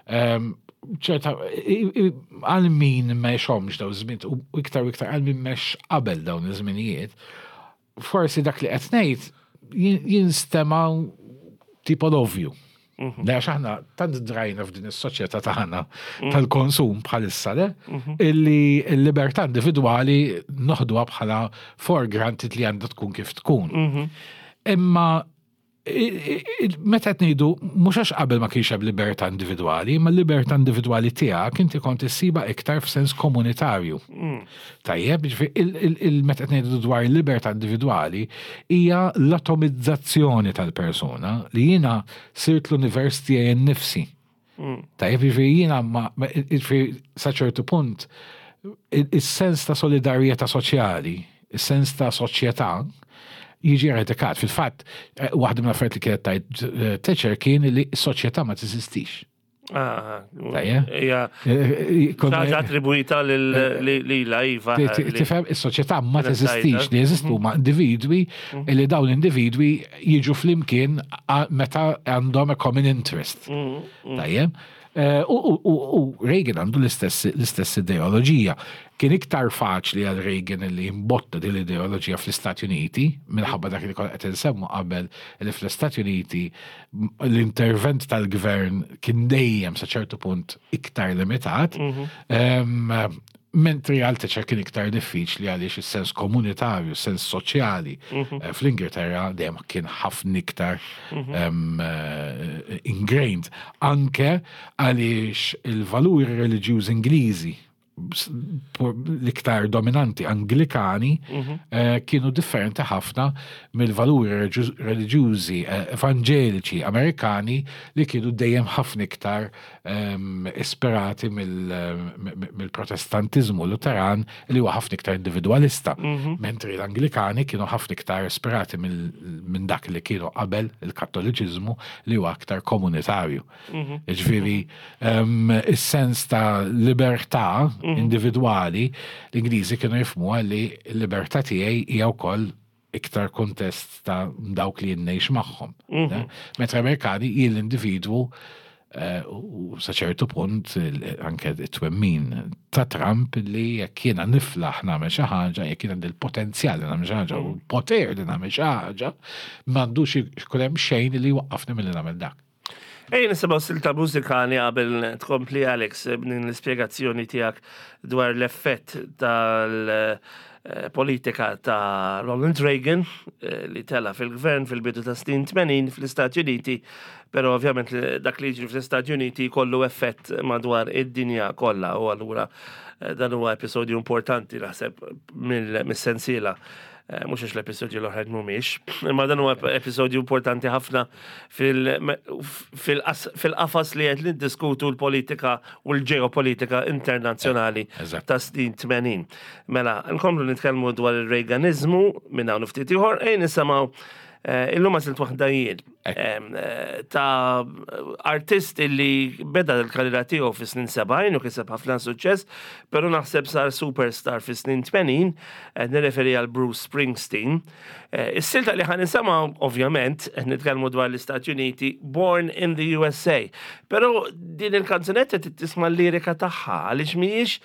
em, ċerta i- i- għal min m'għexhomx dawn iż-żmien u iktar u iktar għal min m'għex qabel dawn iż-żminijiet, forsi dak li qed ngħid jin- jinstema' tipo l-ovvju. Le għax aħna tant drajna f'din is-soċjetà tagħna tal-konsum bħalissa le, illi l-libertà individwali noħduha bħala for granted li għandha tkun kif tkun. Imma i- i- meta qed ngħidu mhux għax qabel ma kienx hemm libertà individwali, imma l-libertà individwali tiegħek inti kont issiba iktar f'sens komunitarju. Tajjeb, jiġifieri il- il- il- meta qed ngħidu dwar il-libertà individwali hija l-atomizzazzjoni tal-persuna li jiena sirt l-univers tiegħi nnifsi. Tajjeb, jiġifieri jiena ma ma- jiġifieri sa ċertu punt il- il-sens ta' solidarjetà soċjali, il-sens ta' soċjetà jiġi eradikat. Fil-fatt, eh, waħda mill-affarijiet li kienet tgħid eh, Thatcher kien li s-soċjetà ma teżistix. Ah, Tajjeb. Hija Eh, eh, konna- ħaġa attribwita lil iva. Ti- ti- Tifhem, is-soċjetà ma Kienet teżistix, tajta. li jeżistu ma individwi li dawn l-individwi jiġu flimkien a- meta għandhom a common interest. Tajjeb. Eh, U u- u- u Reagan għandu l-istess l-istess ideoloġija. Kien iktar faċli għal Reagan li jimbotta din l-ideoloġija fl-Istati Uniti, minħabba dak li konna qed insemmu qabel li fl-Istati Uniti m- l-intervent tal-gvern kien dejjem sa ċertu punt iktar limitat. Em, Mentri għal Thatcher kien iktar diffiċli għaliex is-sens komunitarju, sens soċjali eh, fl-Ingilterra dejjem kien ħafna iktar em, eh, ingrained. Anke għaliex il-valuri reliġjużi Ingliżi s- por- l-iktar dominanti Anglikani eh, kienu differenti ħafna mill-valuri reliġju- reliġjużi eh, evanġeliċi Amerikani li kienu dejjem ħafna iktar em, ispirati mill- mill-Protestantizmu Luteran li huwa ħafna iktar individualista. Mentri l-Anglikani kienu ħafna iktar ispirati mill- minn dak li kienu qabel il-Kattoliċiżmu li huwa aktar komunitarju. Ġifieri, em, is-sens ta' libertà individwali, l-Ingliżi kienu jifhmu li l-libertà tiegħi hija wkoll iktar kontest ta' dawk li jien ngħix magħhom. Ne? Mentre Amerikani jien l-individwu eh, u sa ċertu punt il- anke it-twemmin ta' Trump li jekk jiena niflaħ nagħmel xi ħaġa, jekk jiena għandi l-potenzjal li nagħmel xi ħaġa u l-poter li nagħmel xi ħaġa, m'għandux ikun hemm xejn li jwaqqafni milli nagħmel dak. Ejja nisimgħu silta mużikali qabel tkompli Alex b'din l-ispjegazzjoni tiegħek dwar l-effett tal-politika ta' Ronald Reagan eh, li tela fil-gvern fil-bidu ta' snin tmenin fl-Istati Uniti, pero ovvjament li- dak li jiġri fl-Istati Uniti kollu effett madwar id-dinja kollha u allura eh, dan huwa episodju importanti naħseb mill- mis-sensiela. Eh, Mhux għax l-episodju l-oħrajn mhumiex, imma dan huwa episodju importanti ħafna fil- fil-qas- fil-qafas li qed niddiskutu l-politika u l-ġeopolitika internazzjonali Eżatt. ta' snin tmenin. Mela, nkomplu nitkellmu dwar il-Reaganizmu minn hawn ftit ieħor, ejja nisimgħu eh, illum għażilt waħda jien em, eh, ta' artist illi beda l-karriera tiegħu fi snin sebgħin u kiseb ħafna suċċess, però naħseb sar superstar fi snin tmenin, eh, nirreferi għal Bruce Springsteen. Eh, Is-silta li ħa nisimgħu, ovvjament, qed nitkellmu dwar l-Istati Uniti, Born in the U S A. Però din il-kanzunetta tisma' l-lirika tagħha għaliex mhijiex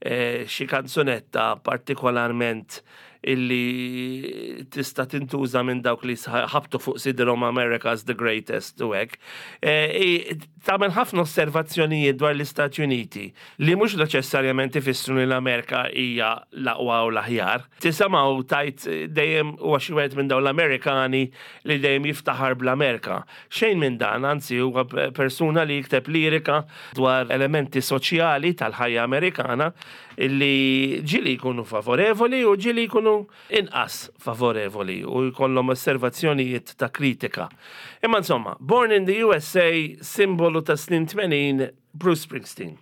eh, xi kanzunetta partikolarment illi tista' tintuża minn dawk li ħabtu fuq sidrhom "America's the greatest" u hekk. Eh, i- Tagħmel ħafna osservazzjonijiet dwar l-Istati Uniti li mhux neċessarjament ifissru li l-Amerika hija l-aqwa u l-aħjar. Tisimgħu tajt dejjem huwa xi wieħed minn dawn l-Amerikani li dejjem jiftaħar bl-Amerika. Xejn minn dan, anzi huwa persuna li jikteb lirika dwar elementi soċjali tal-ħajja Amerikana illi ġieli jkunu favorevoli u ġieli jkunu inqas favorevoli u jkollhom osservazzjonijiet ta' kritika. Imma insomma, Born in the U S A, simbolu ta' snin tmenin, Bruce Springsteen.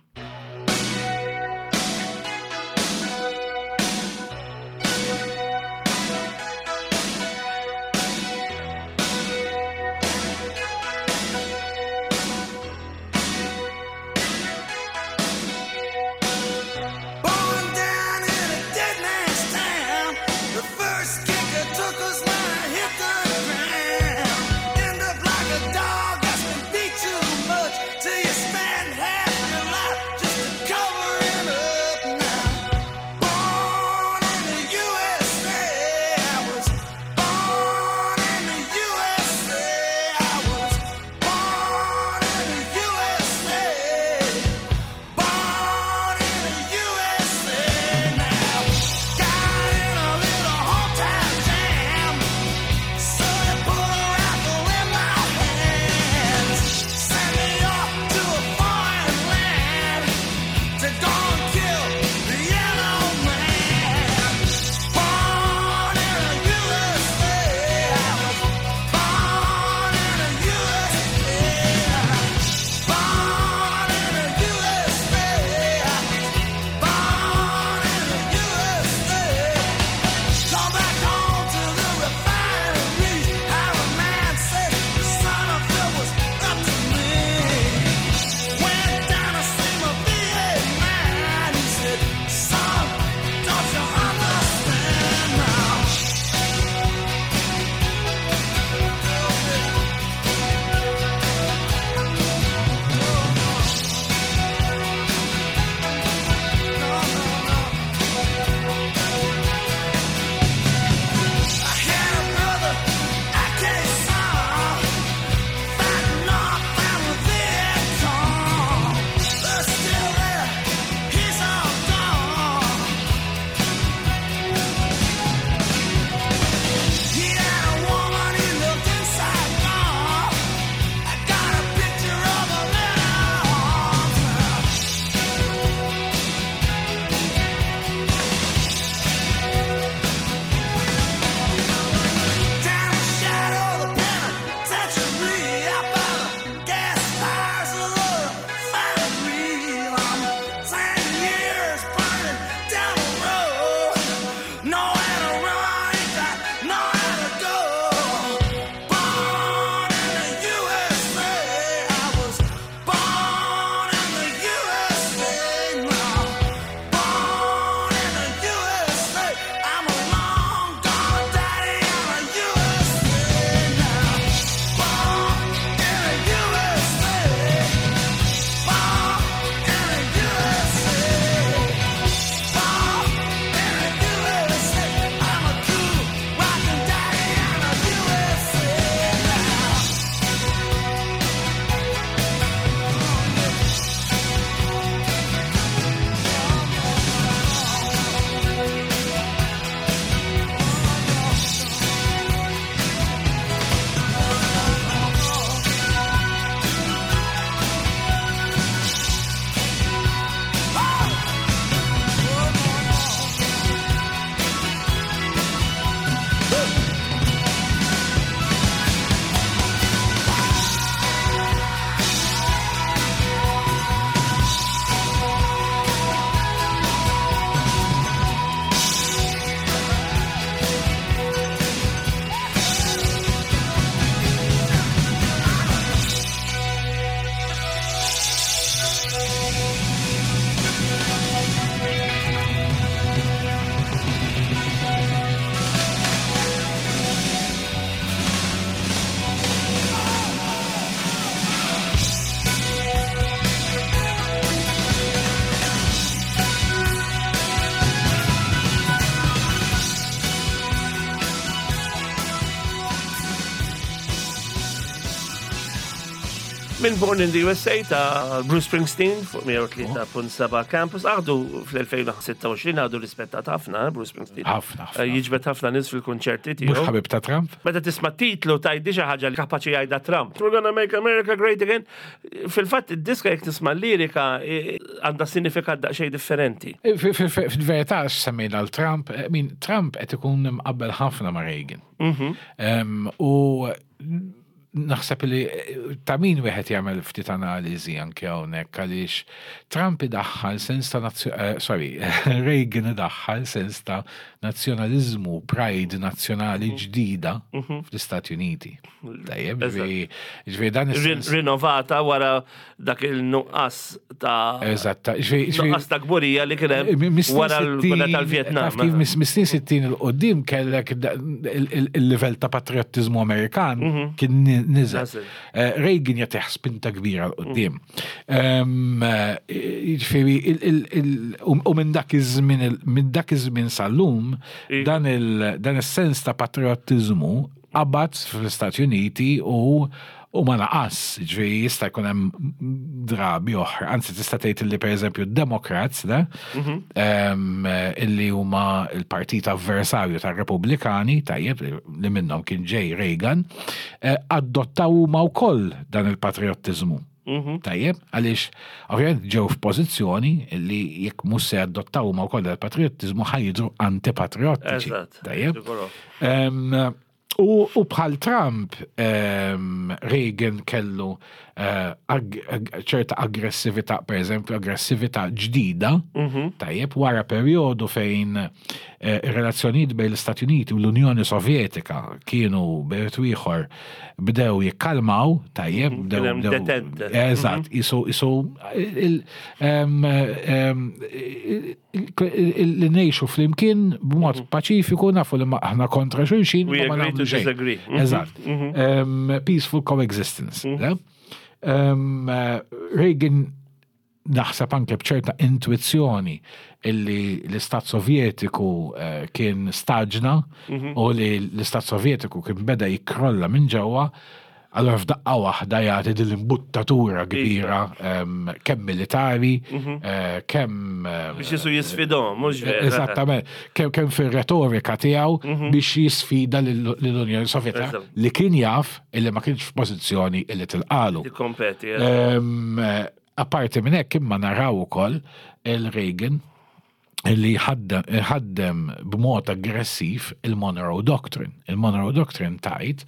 Minn Born in the U S A ta' Bruce Springsteen fuq mija u tlieta punt seba' Campus. Għadu fl-elfejn u sitta u għoxrin għadu rispettat ħafna, eh, Bruce Springsteen. Ħafna, ħafna. Eh, Jiġbed ħafna nies fil-konċerti Mhux tiegħu. ħabib ta' Trump? Meta tisma' titlu tgħidli xi ħaġa li kapaċi jgħidha Trump. "We're gonna make America great again." Fil-fatt id-diska, jekk tisma' lirika, eh, għandha sinifikat daqsxejn differenti. Fil-verità, semmejna l-Trump, I mean, Trump qed ikun mqabbel ħafna ma' Reagan. Em, U naħseb li eh, ta' min wieħed jagħmel ftit analiżi anke hawnhekk, għaliex Trump idaħħal sens ta' nazzjo- eh, sorry, Reagan idaħħal sens ta' nazzjonaliżmu, pride nazzjonali ġdida fl-Istati Uniti. Tajjeb, ġifieri ġifieri dan Rin- is-sens. Rinnovata wara dak il-nuqqas ta' Eżatt, ġifieri ġifieri- nuqqas ta' kburija li kien hemm wara l-gwerra tal-Vietnam. Taf kif mis-snin sittin 'il quddiem kellek da- il- il- il-livell ta' patriotizmu Amerikan kien ni- niżel. Niżel. Eh, Reagan jagħtih spinta kbira 'l quddiem. Em, eh, Jiġifieri il- il- il- u u minn dak iż-żmien il- minn dak iż-żmien sal-lum Iva. dan il- dan is-sens ta' patriotizmu qabad fl-Istati Uniti u u ma naqas, ġifieri jista' jkun hemm drabi oħra, anzi tista' tgħid li, pereżempju, Democrats, le, em, illi huma il-partit avversarju tar-Repubblikani, tajjeb, li- li minnhom kien ġej Reagan, eh, adottaw huma wkoll dan il-patriottiżmu. Tajjeb, għaliex ovvjament ġew f'pożizzjoni li jekk mhux se adottaw huma wkoll dan il-patriottiżmu, ħa jidhru antipatriottiċi. Eżatt. Tajjeb. Siguro. Em, U, u bħal Trump, um, Reagan kellu uh, ag, ag, ċerta aggressività, per eżempju, aggressività ġdida, tajjeb, wara periodu fejn uh, ir-relazzjonijiet bejn l-Istati Uniti u l-Unjoni Sovjetika kienu bejn ieħor bdew jikkalmaw, tajjeb, bdew. Kien hemm bdew- detente. Eżatt, isu, isu, il- em, em, il- il- li ngħixu flimkien b'mod paċifiku, nafu li ma- aħna kontra xulxin, We ma ma agree to nagħmlu xejn. disagree. Mhm. Eżatt. Em, Peaceful coexistence. Le? Em, eh, Reagan naħseb anke bċerta intuizzjoni illi l-Istat Sovjetiku eh, kien staġna u li l-Istat Sovjetiku kien beda jikrolla minn ġewwa, allora f'daqqa waħda jagħti din l-imbuttatura kbira, em, kemm militari, eh, kemm eh, Biex jisu jisfidhom, mhux vera? Eżattament, kemm kemm fir-retorika tiegħu biex jisfida lill-Unjoni Sovjetika Eżatt. li kien jaf illi ma kienx f'pożizzjoni illi tilqalu. Tikkompeti. eh. Em, eh, Apparti minn hekk, imma naraw ukoll il-Reagan li ħaddem ħaddem b'mod aggressiv il-Monroe Doctrine. Il-Monroe Doctrine tgħid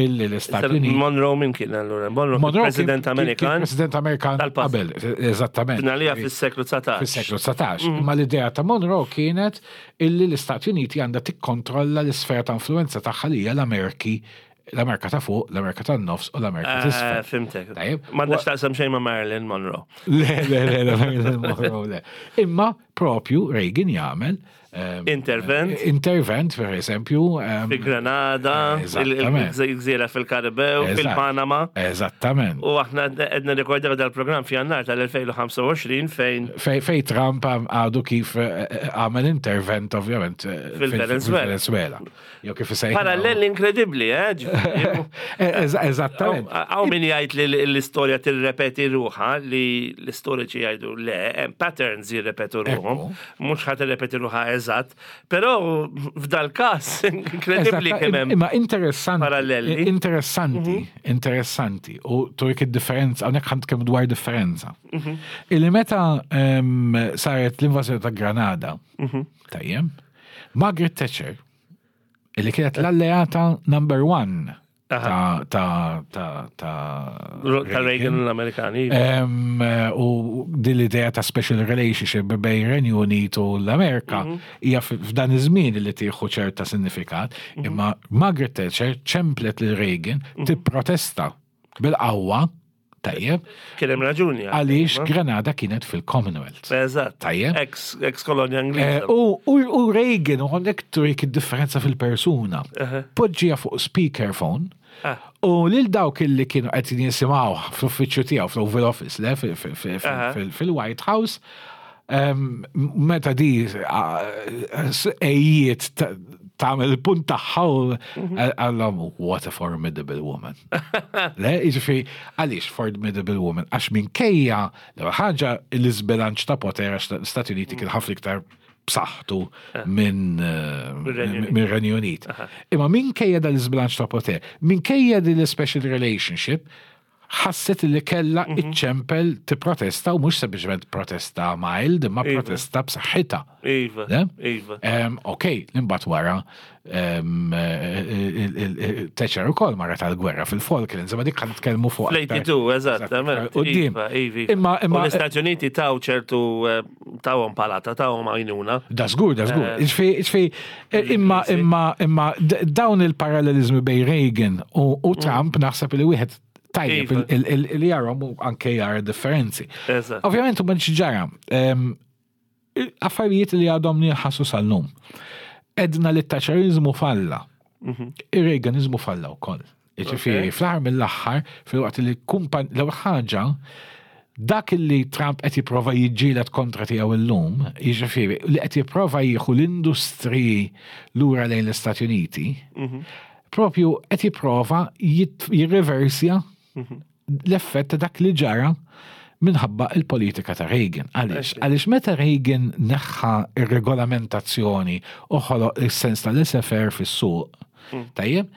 illi l-Istati Uniti Monroe min kien allura? Monroe, Monroe kien- President kien- kien Amerikan. President Amerikan tal-passat. qabel, eżattament. Finalija fis-seklu dsatax. Fis-seklu dsatax. Imma l-idea ta' Monroe kienet illi l-Istati Uniti għandha tikkontrolla l-isfera ta' influenza tagħha li hija l-Amerki, l-Amerika ta' fuq, l-Amerika tan-nofs u l-Amerika Eh, t'isfel. Fhimtek. Tajjeb. M'għandax taqsam xejn ma' Marilyn Monroe. Le, le, le, le, Marilyn Monroe, le. Imma propju Reagan jagħmel em, Intervent. Intervent, per eżempju. em, Fi Granada, Eżattament. il-gżira fil-Karibew, Eżatt. fil-Panama. Eżattament. U aħna qegħdin nirrekordjaw dal-programm f'Jannar tal-elfejn u ħamsa u għoxrin fejn Fej, fej Trump għam- għadu kif eh, eh, għamel intervent ovvjament eh, fil- Fil-Venezuela. fil-Venezuela. Jew kif isejħu. Parallel inkredibbli, eh? Ġifieri. Eh, eż- Eżattament. Hawn min jgħid li l-istorja tirrepeti ruħha, li l-istoriċi jgħidu le, hemm patterns jirrepetu ruħhom, mhux ħa tirrepeti ruħha eżatt, però f'dal każ inkredibbli Eżatt, kemm hemm Imma interessanti. parallelli. Mhm. Interessanti, interessanti. U turik id-differenza, hawnhekk ħa nitkellmu dwar differenza. Mhm. Illi meta em, saret l-invażjoni ta' Granada, Mhm. tajjeb, Margaret Thatcher, illi kienet l-alleata number one ta' ta' ta' ta' Ta' Reagan u l-Amerikani. Em, u din l-idea ta' special relationship bejn Renju Unit u l-Amerika hija f- f'dan iż-żmien li tieħu ċerta sinifikat, imma Margaret Thatcher ċemplet lil Reagan tipprotesta bil-qawwa, tajjeb, Kien hemm raġuni. għaliex Granada kienet fil-Commonwealth. Eżatt. Tajjeb. Ex ex kolonja Eh, Ingliża. U u- u Reagan, u għandek turik id-differenza fil-persuna. Poġġija fuq speakerphone Ah. u lil dawk illi kienu qed jisimgħu fl-uffiċċju tiegħu fl-Oval Office, le, fil- fil- fil- Aha. fil- fil-White House, em, meta di ejjiet tagħmel il-punt tagħha u għallhom, "What a formidable woman." Le, jiġifieri, għaliex formidable woman? Għax minkejja l ħaġa l-iżbilanċ ta' poter, għax l-Stati Uniti kien ħafna iktar b'saħħtu minn eh, Mir-Renju Unit. minn Renju Unit. Imma minkejja dal-iżbilanċ ta' poter, minkejja din l-special relationship, ħasset li kella iċċempel tipprotesta u mhux sempliċement protesta mild, imma Iva. protesta b'saħħitha. Iva, Le? Iva. Em, Ok, imbagħad wara em, eh, il- il- il- Thatcher ukoll marret tal-gwerra fil-Falklands, imma dik ħa nitkellmu fuq. Fl-tmeninta u tnejn, eżattament. Quddiem. Iva, iva. Imma U imma l-Istati Uniti taw ċertu eh, tawhom palata, tawhom għajnuna. Da żgur, da żgur. Eh, Iġifieri, iġifieri, imma, l-Ingliżi. imma, imma d- dawn il-parallelizmi bejn Reagan u, u Trump naħseb li wieħed tajjeb Iva. il- il- il- li jarahom u anke jara differenzi. Eżatt. Ovvjament, u ġara, em, affarijiet li għadhom ninħassu sal-lum. Għedna li t-Thatcherizmu falla. Ir-Reaganizmu falla wkoll. Jiġifieri, fl-aħħar mill-aħħar, fil-waqt li kumpan, l ħaġa, dak li Trump qed jipprova jiġġieled kontra tiegħu illum, jiġifieri li qed jipprova jieħu l-industriji lura lejn l-Istati Uniti, propju qed jipprova jit- jirreversja l-effett ta' dak li ġara minħabba il-politika ta' Reagan. Għaliex? Għaliex meta Reagan neħħa ir-regolamentazzjoni u ħoloq is-sens tal-laissez-faire fis-suq, tajjeb,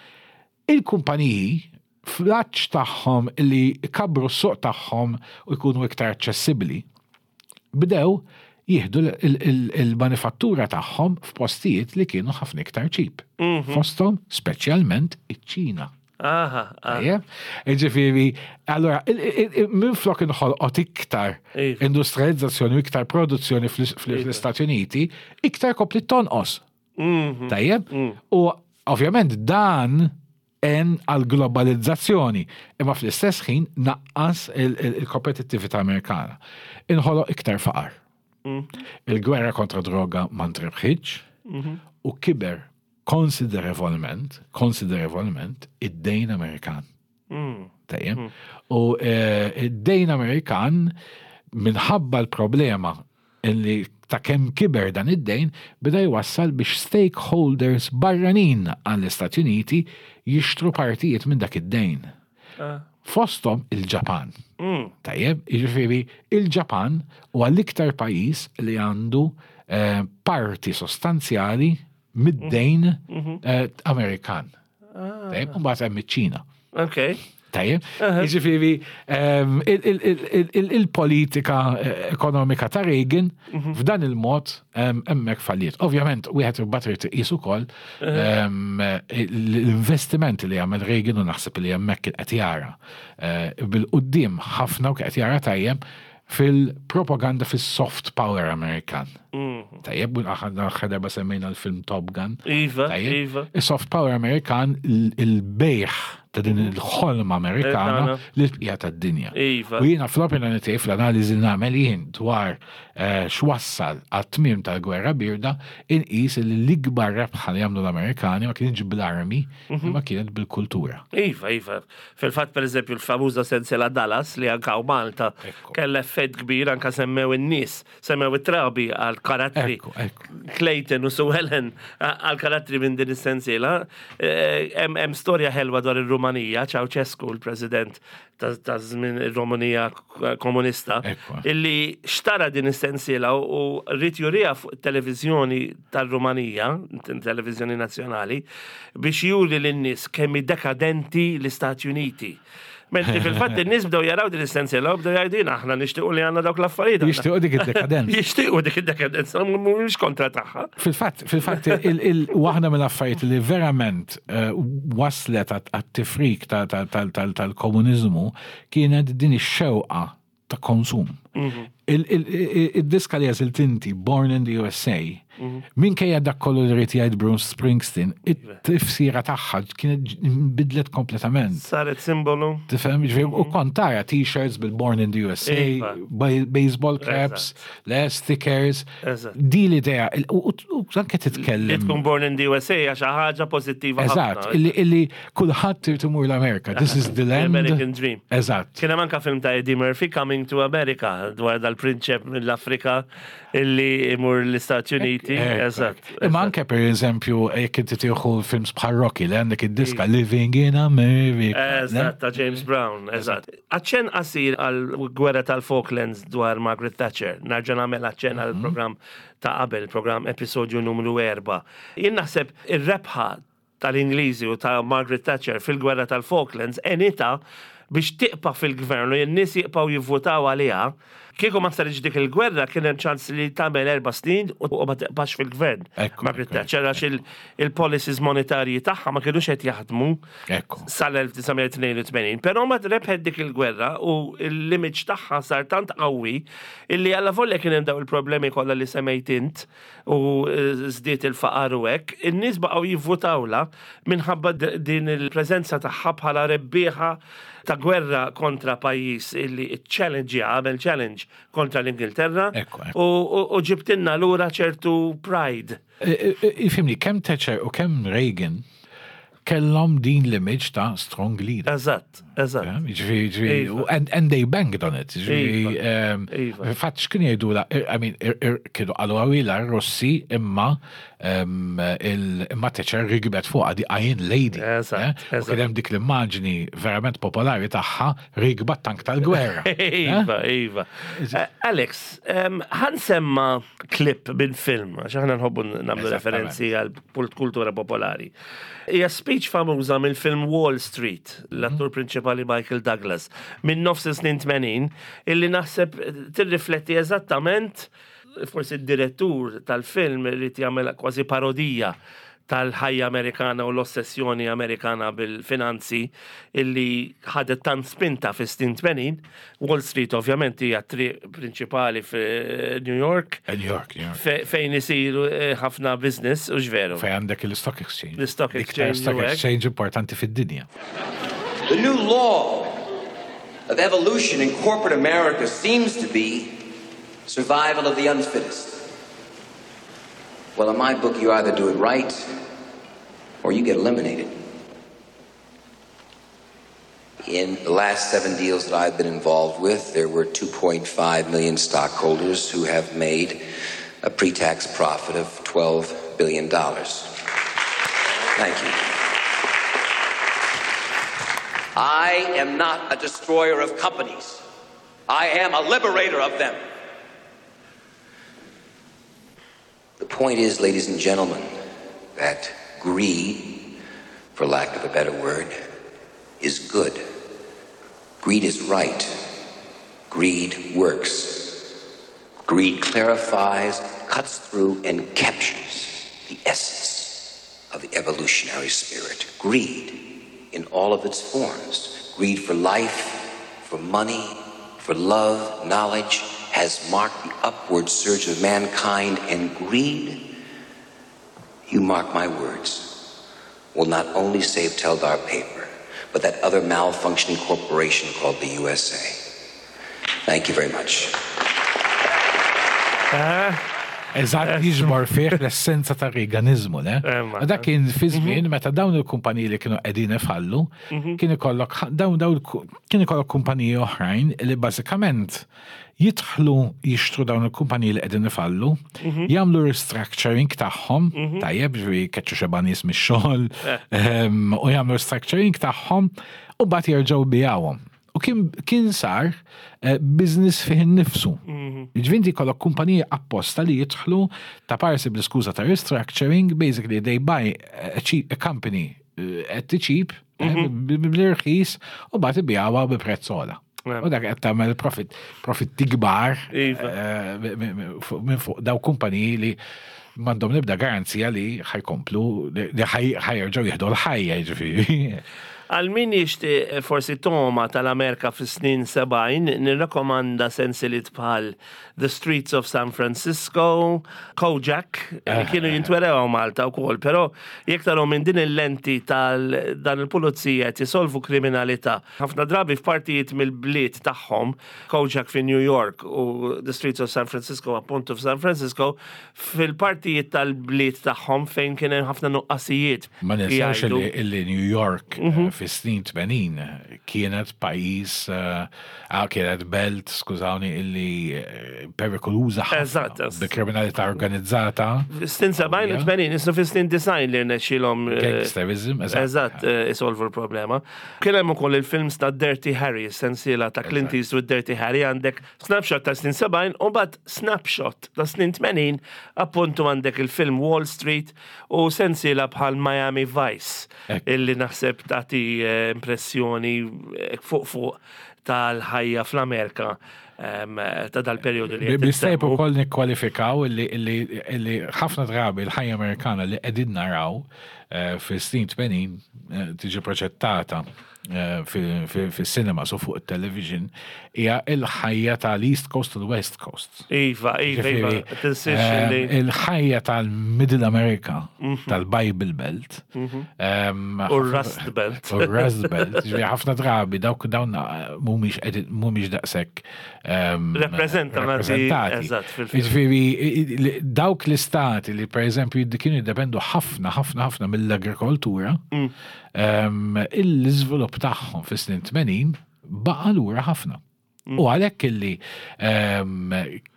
il-kumpaniji fl-għatx tagħhom li kabru s-suq tagħhom u jkunu iktar aċċessibbli, bdew jieħdu il-manifattura tagħhom f'postijiet li kienu ħafna iktar cheap. Fosthom speċjalment iċ-Ċina. Aha, aha. Tajjeb? Ġifieri, allora, minn flok inħolqot iktar Iva. industrializzazzjoni u iktar produzzjoni fl-Istati Uniti, iktar kompli tonqos. Mhm. Tajjeb? U ovvjament dan għen għal globalizzazzjoni, imma fl-istess ħin naqqas il-kompetittività Amerikana. Inħoloq iktar faqar. Il-gwerra kontra droga ma ntrebħitx u kiber konsiderevolment, konsiderevolment, id-dejn Amerikan. Tajjeb? U eh, id-dejn Amerikan minħabba l-problema illi ta' kemm kiber dan id-dejn beda jwassal biex stakeholders barranin għall-Istati Uniti jixtru partijiet minn dak id-dejn. Fostom il-Ġapan. Tajjeb, jiġifieri il-Ġapan huwa l-iktar pajjiż li għandu eh, parti sostanzjali mid-dejn eh, Amerikan. Tajjeb, u mbagħad hemm iċ-Ċina. Ok. Tajjeb, jiġifieri ehm, il- il- il- il- il-politika eh, ekonomika ta' Reagan f'dan il-mod ehm, hemmhekk falliet. Ovvjament, wieħed imbagħad irid iqis ukoll ehm, l-investimenti li għamel Reagan u naħseb li hemmhekk qed jara eh, bil-quddiem ħafna u qed jara tajjeb fil-propaganda fis-soft power Amerikan. Tajjeb, aħna darba semmejna l-film Top Gun. Iva, Tajjeb. iva. Il-soft power Amerikan, il-bejħ ta' din il-ħolma Amerikana Amerikana. li l-bqija tad-dinja. Iva. U jiena fl-opinjoni tiegħi, fl-analiżi li nagħmel jien dwar eh, x'wassal għat-tmiem tal-gwerra birda, inqis li l-ikbar rebħa li għamlu l-Amerikani ma kienx bl-armi, imma kienet bil-kultura. Iva, iva. Fil-fatt, per eżempju, l-famuża sensiela Dallas li anka u Malta Ekku. kella effett kbir, anka semmew in-nies, semmew it-trabi għal karattri. Ekku, ekku. Clayton u Sue Ellen għal karattri minn din is-sensiela. Eh, Hemm hemm storja ħelwa dwar ir-Rumanija, Ceausescu, il-president ta' ta' żmien ir-Rumanija komunista, Ekku. illi xtara din is-sensiela u u ried juriha fuq televizjoni tal-Rumanija, televizjoni nazzjonali, biex juri lin-nies kemm hi dekadenti l-Istati Uniti. Mentri fil-fatt in-nies bdew jaraw din is-sensiela u bdew jgħidu, "Jiena aħna nixtiequ li għandna dawk l-affarijiet. aħna." Jixtiequ dik id-dekadenza. Jixtiequ dik id-dekadenza, mhumiex kontra tagħha. Fil-fatt, fil-fatt, il- il- waħda mill-affarijiet li verament eh, waslet għat-tifrik ta- ta- tal- tal- tal-komunizmu kienet din ix-xewqa ta' konsum. Il- il- il- Il-diska li għażilt inti, Born in the U S A, minkejja dak kollu li ried jgħid Bruce Springsteen, it-tifsira tagħha kienet bidlet kompletament. Saret simbolu. Tifhem, ġifieri, u kont tara t-shirts bil-Born in the U S A, Iva. ba- baseball caps, le stickers. Eżatt. Di l-idea, il- u u- u anke Li titkellem. tkun born in the U S A għax ħaġa pożittiva Eżatt, ħafna. illi illi kulħadd irid imur l-Amerika. This is the land. American Dream. Eżatt. Kien hemm anka film ta' Eddie Murphy, Coming to America, dwar dal-prinċep mill-Afrika illi imur l-Istati Uniti Uniti, eżatt. Imma anke per eżempju, jekk inti tieħu films bħal Rocky li għandek id-diska Living in America. Eżatt, ta' James Brown, eżatt. Aċċenn qasir għal-gwerra tal-Falklands dwar Margaret Thatcher, nerġa' nagħmel aċċenn għal program ta' qabel, program episodju numru erba'. Jien naħseb ir-rebħa tal-Ingliżi u ta' Margaret Thatcher fil-gwerra tal-Falklands għenitha biex tibqa' fil-gvern u n-nies jibqgħu jivvotaw għaliha. Kieku ma saritx dik il-gwerra, kien hemm ċans li tagħmel erba' snin u ma tibqax fil-gvern. Ekku, Margaret ekku, Thatcher, għax il- il-policies monetarji tagħha ma kinux qed jaħdmu Ekku. sal-elf disa' mija tnejn u tmenin. Però ma rebħet dik il-gwerra u l-image tagħha sar tant qawwi illi alla volja kien hemm daw il-problemi kollha li semmejt int u eh, żdied il-faqar u hekk, in-nies baqgħu jivvutawla minħabba d- din il-preżenza tagħha bħala rebbieħa ta' gwerra kontra pajjiż illi challenge, għamel challenge kontra l-Ingilterra Ekku, ekku. u, u, u ġibtilna lura ċertu pride. Ifhimni, kemm Thatcher u kemm Reagan kellhom din l-image ta' strong leader. Eżatt, eżatt. Ġifieri, ġifieri, Iva. and, and they banked on it. Ġifieri, Iva. um, Iva. fatt x'kien jgħidu la, I mean, ir- ir- kienu qalu għawila Rossi imma um, il- imma Thatcher rikbet fuqha, the Iron Lady. Eżatt, eh? U eżatt. kien hemm dik l-immaġni verament popolari tagħha rikba tank tal-gwerra. Eh? Iva, Iva. Eh, Alex, em, ħa nsemma clip minn film, għax aħna nħobbu nagħmlu Eżattament. referenzi għal pult- kultura popolari. Hija speech famuża mill-film Wall Street, l-attur prinċipali Michael Douglas, minn nofs snin tmenin, illi naħseb tirrifletti eżattament, forsi d-direttur tal-film irid jagħmel kważi parodija tal-ħajja Amerikana u l-ossessjoni Amerikana bil-finanzi illi ħadet tant spinta fi snin tmenin. Wall Street ovvjament hija triq prinċipali fi New York New York, New York. fe- fejn isiru eh, ħafna business u ġveru. Fejn għandek il-Stock Exchange. L-Stock L-iktar Exchange Stock u hekk. Exchange importanti fid-dinja. The new law of evolution in corporate America seems to be survival of the unfittest. Well, in my book, you either do it right or you get eliminated. In the last seven deals that I've been involved with, there were two point five million stockholders who have made a pre tax profit of twelve billion dollars. Thank you. I am not a destroyer of companies. I am a liberator of them. The point is, ladies and gentlemen, that greed, for lack of a better word, is good. Greed is right. Greed works. Greed clarifies, cuts through, and captures the essence of the evolutionary spirit. Greed in all of its forms. Greed for life, for money, for love, knowledge, has marked the upward surge of mankind, and greed, you mark my words, will not only save Teldar Paper, but that other malfunctioning corporation called the U S A. Thank you very much. Eżatt, jiġbor fih l-essenza ta' Reaganizmu, ne? Emma. Dak kien fi żmien meta dawn il-kumpaniji li kienu qegħdin ifallu, kien ikollok dawn dawn kien ikollok kumpaniji oħrajn li bażikament jidħlu jixtru dawn il-kumpaniji li qegħdin ifallu, jagħmlu restructuring tagħhom, tajjeb, ġifieri keċċu xeba nies mix-xogħol, ehm, u jagħmlu restructuring tagħhom u mbagħad jerġgħu jbigħuhom. U kien, kien sar eh, business fih innifsu. Ġifieri inti kollok kumpaniji apposta li jidħlu ta' parsi bl-iskuża ta' restructuring, basically they buy a, cheap, a company eh, at the cheap, eh, b- b- bl-irħis, u mbagħad ibigħuha bi prezz ogħla. U dak qed tagħmel profit, profitti kbar Iva. eh, minn fuq daw kumpaniji li m'għandhom l-ebda garanzija li ħa jkomplu, li ħa jerġgħu jieħdu l-ħajja, ġifieri. Għal min jixtieq forsi toma tal-Amerika fis snin sebgħin, nirrakkomanda sensiliet bħal The Streets of San Francisco, Kojak, li kienu jintwerew Malta u kol, pero jekk taraw minn din il-lenti tal dan il-pulizija qed jisolvu kriminalità. Ħafna drabi f'partijiet mill-bliet tagħhom, Kojak fi New York u The Streets of San Francisco appuntu f'San Francisco, fil-partijiet tal-bliet tagħhom fejn kien hemm ħafna nuqqasijiet. Ma ninsawx Jgħidu- illi illi New York eh, fis-snin tmenin kienet pajjiż, eh, ah, kienet belt, skużawni, illi eh, perikoluża ħafna Eżatt. bi kriminalità organizzata, Snin sebgħin u tmenin, isnu fi snin disgħin li rnexxilhom eh, gangsterism, eżatt. Eżatt, eh, isolvu l-problema. Kien hemm ukoll il-films ta' Dirty Harry, sensiela ta' Clint Eastwood Dirty Harry, għandek snapshot ta' snin sebgħin u mbagħad snapshot ta' snin tmenin, appuntu għandek il-film Wall Street u sensiela bħal Miami Vice, Ekk. illi naħseb tagħti eh, impressjoni eh, fuq fuq tal-ħajja fl-Amerika em, ta' dal-periodu li qed Bistajb insemmu. ukoll nikkwalifikaw illi, illi, illi ħafna drabi l-ħajja Amerikana li qegħdin naraw eh, fis-snin tmenin eh, tiġi proġettata eh, fis-cinema so fuq il-television hija il-ħajja tal-East Coast u l-West Coast. Iva, iva, iva, Ġifieri, tinsiex ehm, li. Il-ħajja tal-Middle America, tal-Bible Belt. ehm, U Rust Belt. U Rust Belt. Ġifieri ħafna drabi dawk dawn eh, mhumiex qegħdin- mhumiex daqshekk ehm, Rappreżentati, rappreżentati. eżatt, fil-film. Ġifieri i- li- dawk l-istati li per eżempju kienu jiddependu ħafna ħafna ħafna mill-agrikoltura, Mm. ehm, l-iżvilupp tagħhom fis-snin tmenin baqa' lura ħafna. Mm. U għalhekk illi ehm,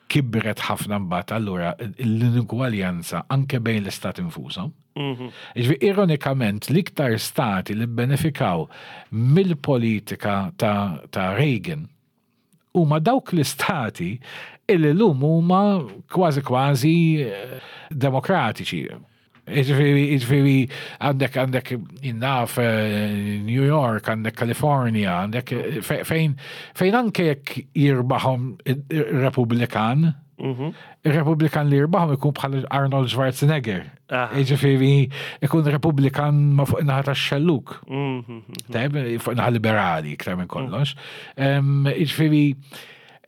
kibret ħafna mbagħad allura l-inugwaljanza anke bejn l-istati infushom. Mhm. Ġifieri, ironikament, l-iktar stati li benefikaw mill-politika ta', ta Reagan huma dawk l-istati illi llum huma kważi kważi eh, demokratiċi. Ġifieri, ġifieri, għandek għandek jinnaf eh, New York, għandek California, għandek eh, fe- fejn fejn anke jekk jirbaħhom Republikan, il-Republikan li jirbaħhom ikun bħal Arnold Schwarzenegger. Aha. Ġifieri, ikun Republikan ma fuq naħa tax-xelluk. Mhm. Tajb, fuq naħa liberali iktar minn kollox. Em, Ġifieri,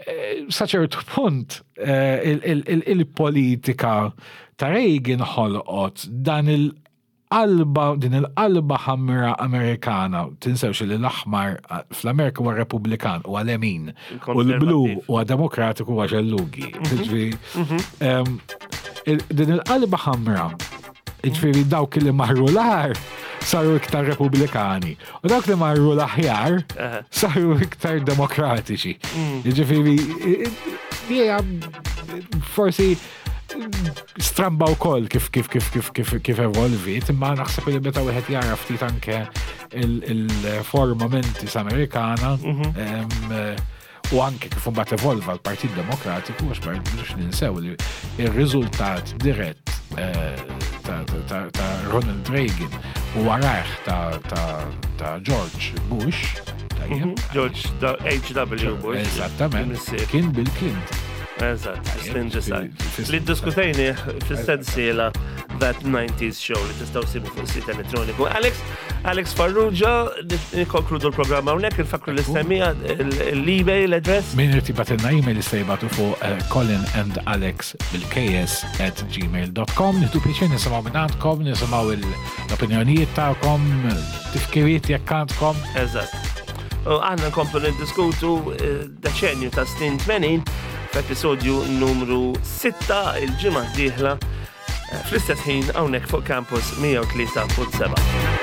eh, sa ċertu punt, eh, il- il- il- il-politika ta' Reagan ħolqot dan il-qalba, din il-qalba ħamra Amerikana, tinsewx li l-aħmar eh, fl-Amerika huwa Republikan u għal-lemin, u l-blu Il-konservattiv. huwa Demokratiku huwa xellugi. Ġifieri, em, il- din il-qalba ħamra, ġifieri dawk li marru l-agħar saru iktar Repubblikani. U dawk li marru l-aħjar Aha. saru iktar demokratiċi. Ġifieri, hija forsi stramba wkoll kif kif kif kif kif kif evolvit, imma naħseb li meta wieħed jara ftit anke il-forma mentis Amerikana em, u anke kif imbagħad evolva l-Partit Demokratiku, għax ma rridux ninsew li ir-riżultat dirett eh, ta' ta- ta' Ronald Reagan u warajh ta' ta' ta' George Bush, tajjeb, George H W. Bush. Eżattament, Il-missier. kien Bill Clinton. Eżatt, fis-snin disgħin. Fis- Li diskutejni fis-sensiela That nineties Show li tistgħu sibu fuq sit elettroniku. Alex, Alex Farrugia, nikkonkludu l-programma hawnhekk, infakru l-istemmija, l-email address. Min irid jibgħatilna email jista' jibgħatu fuq eh, Colin and Alex bil-K S at gmail dot com. Nieħdu pjaċir nisimgħu minn għandkom, nisimgħu l-opinjonijiet tagħkom, tifkiriet jekk għandkom. Eżatt. U aħna nkomplu niddiskutu eh, deċenju ta' snin tmenin f'episodju numru sitta il-ġimgħa d-dieħla eh, fl-istess ħin hawnhekk fuq Campus mija u tlieta punt sebgħa.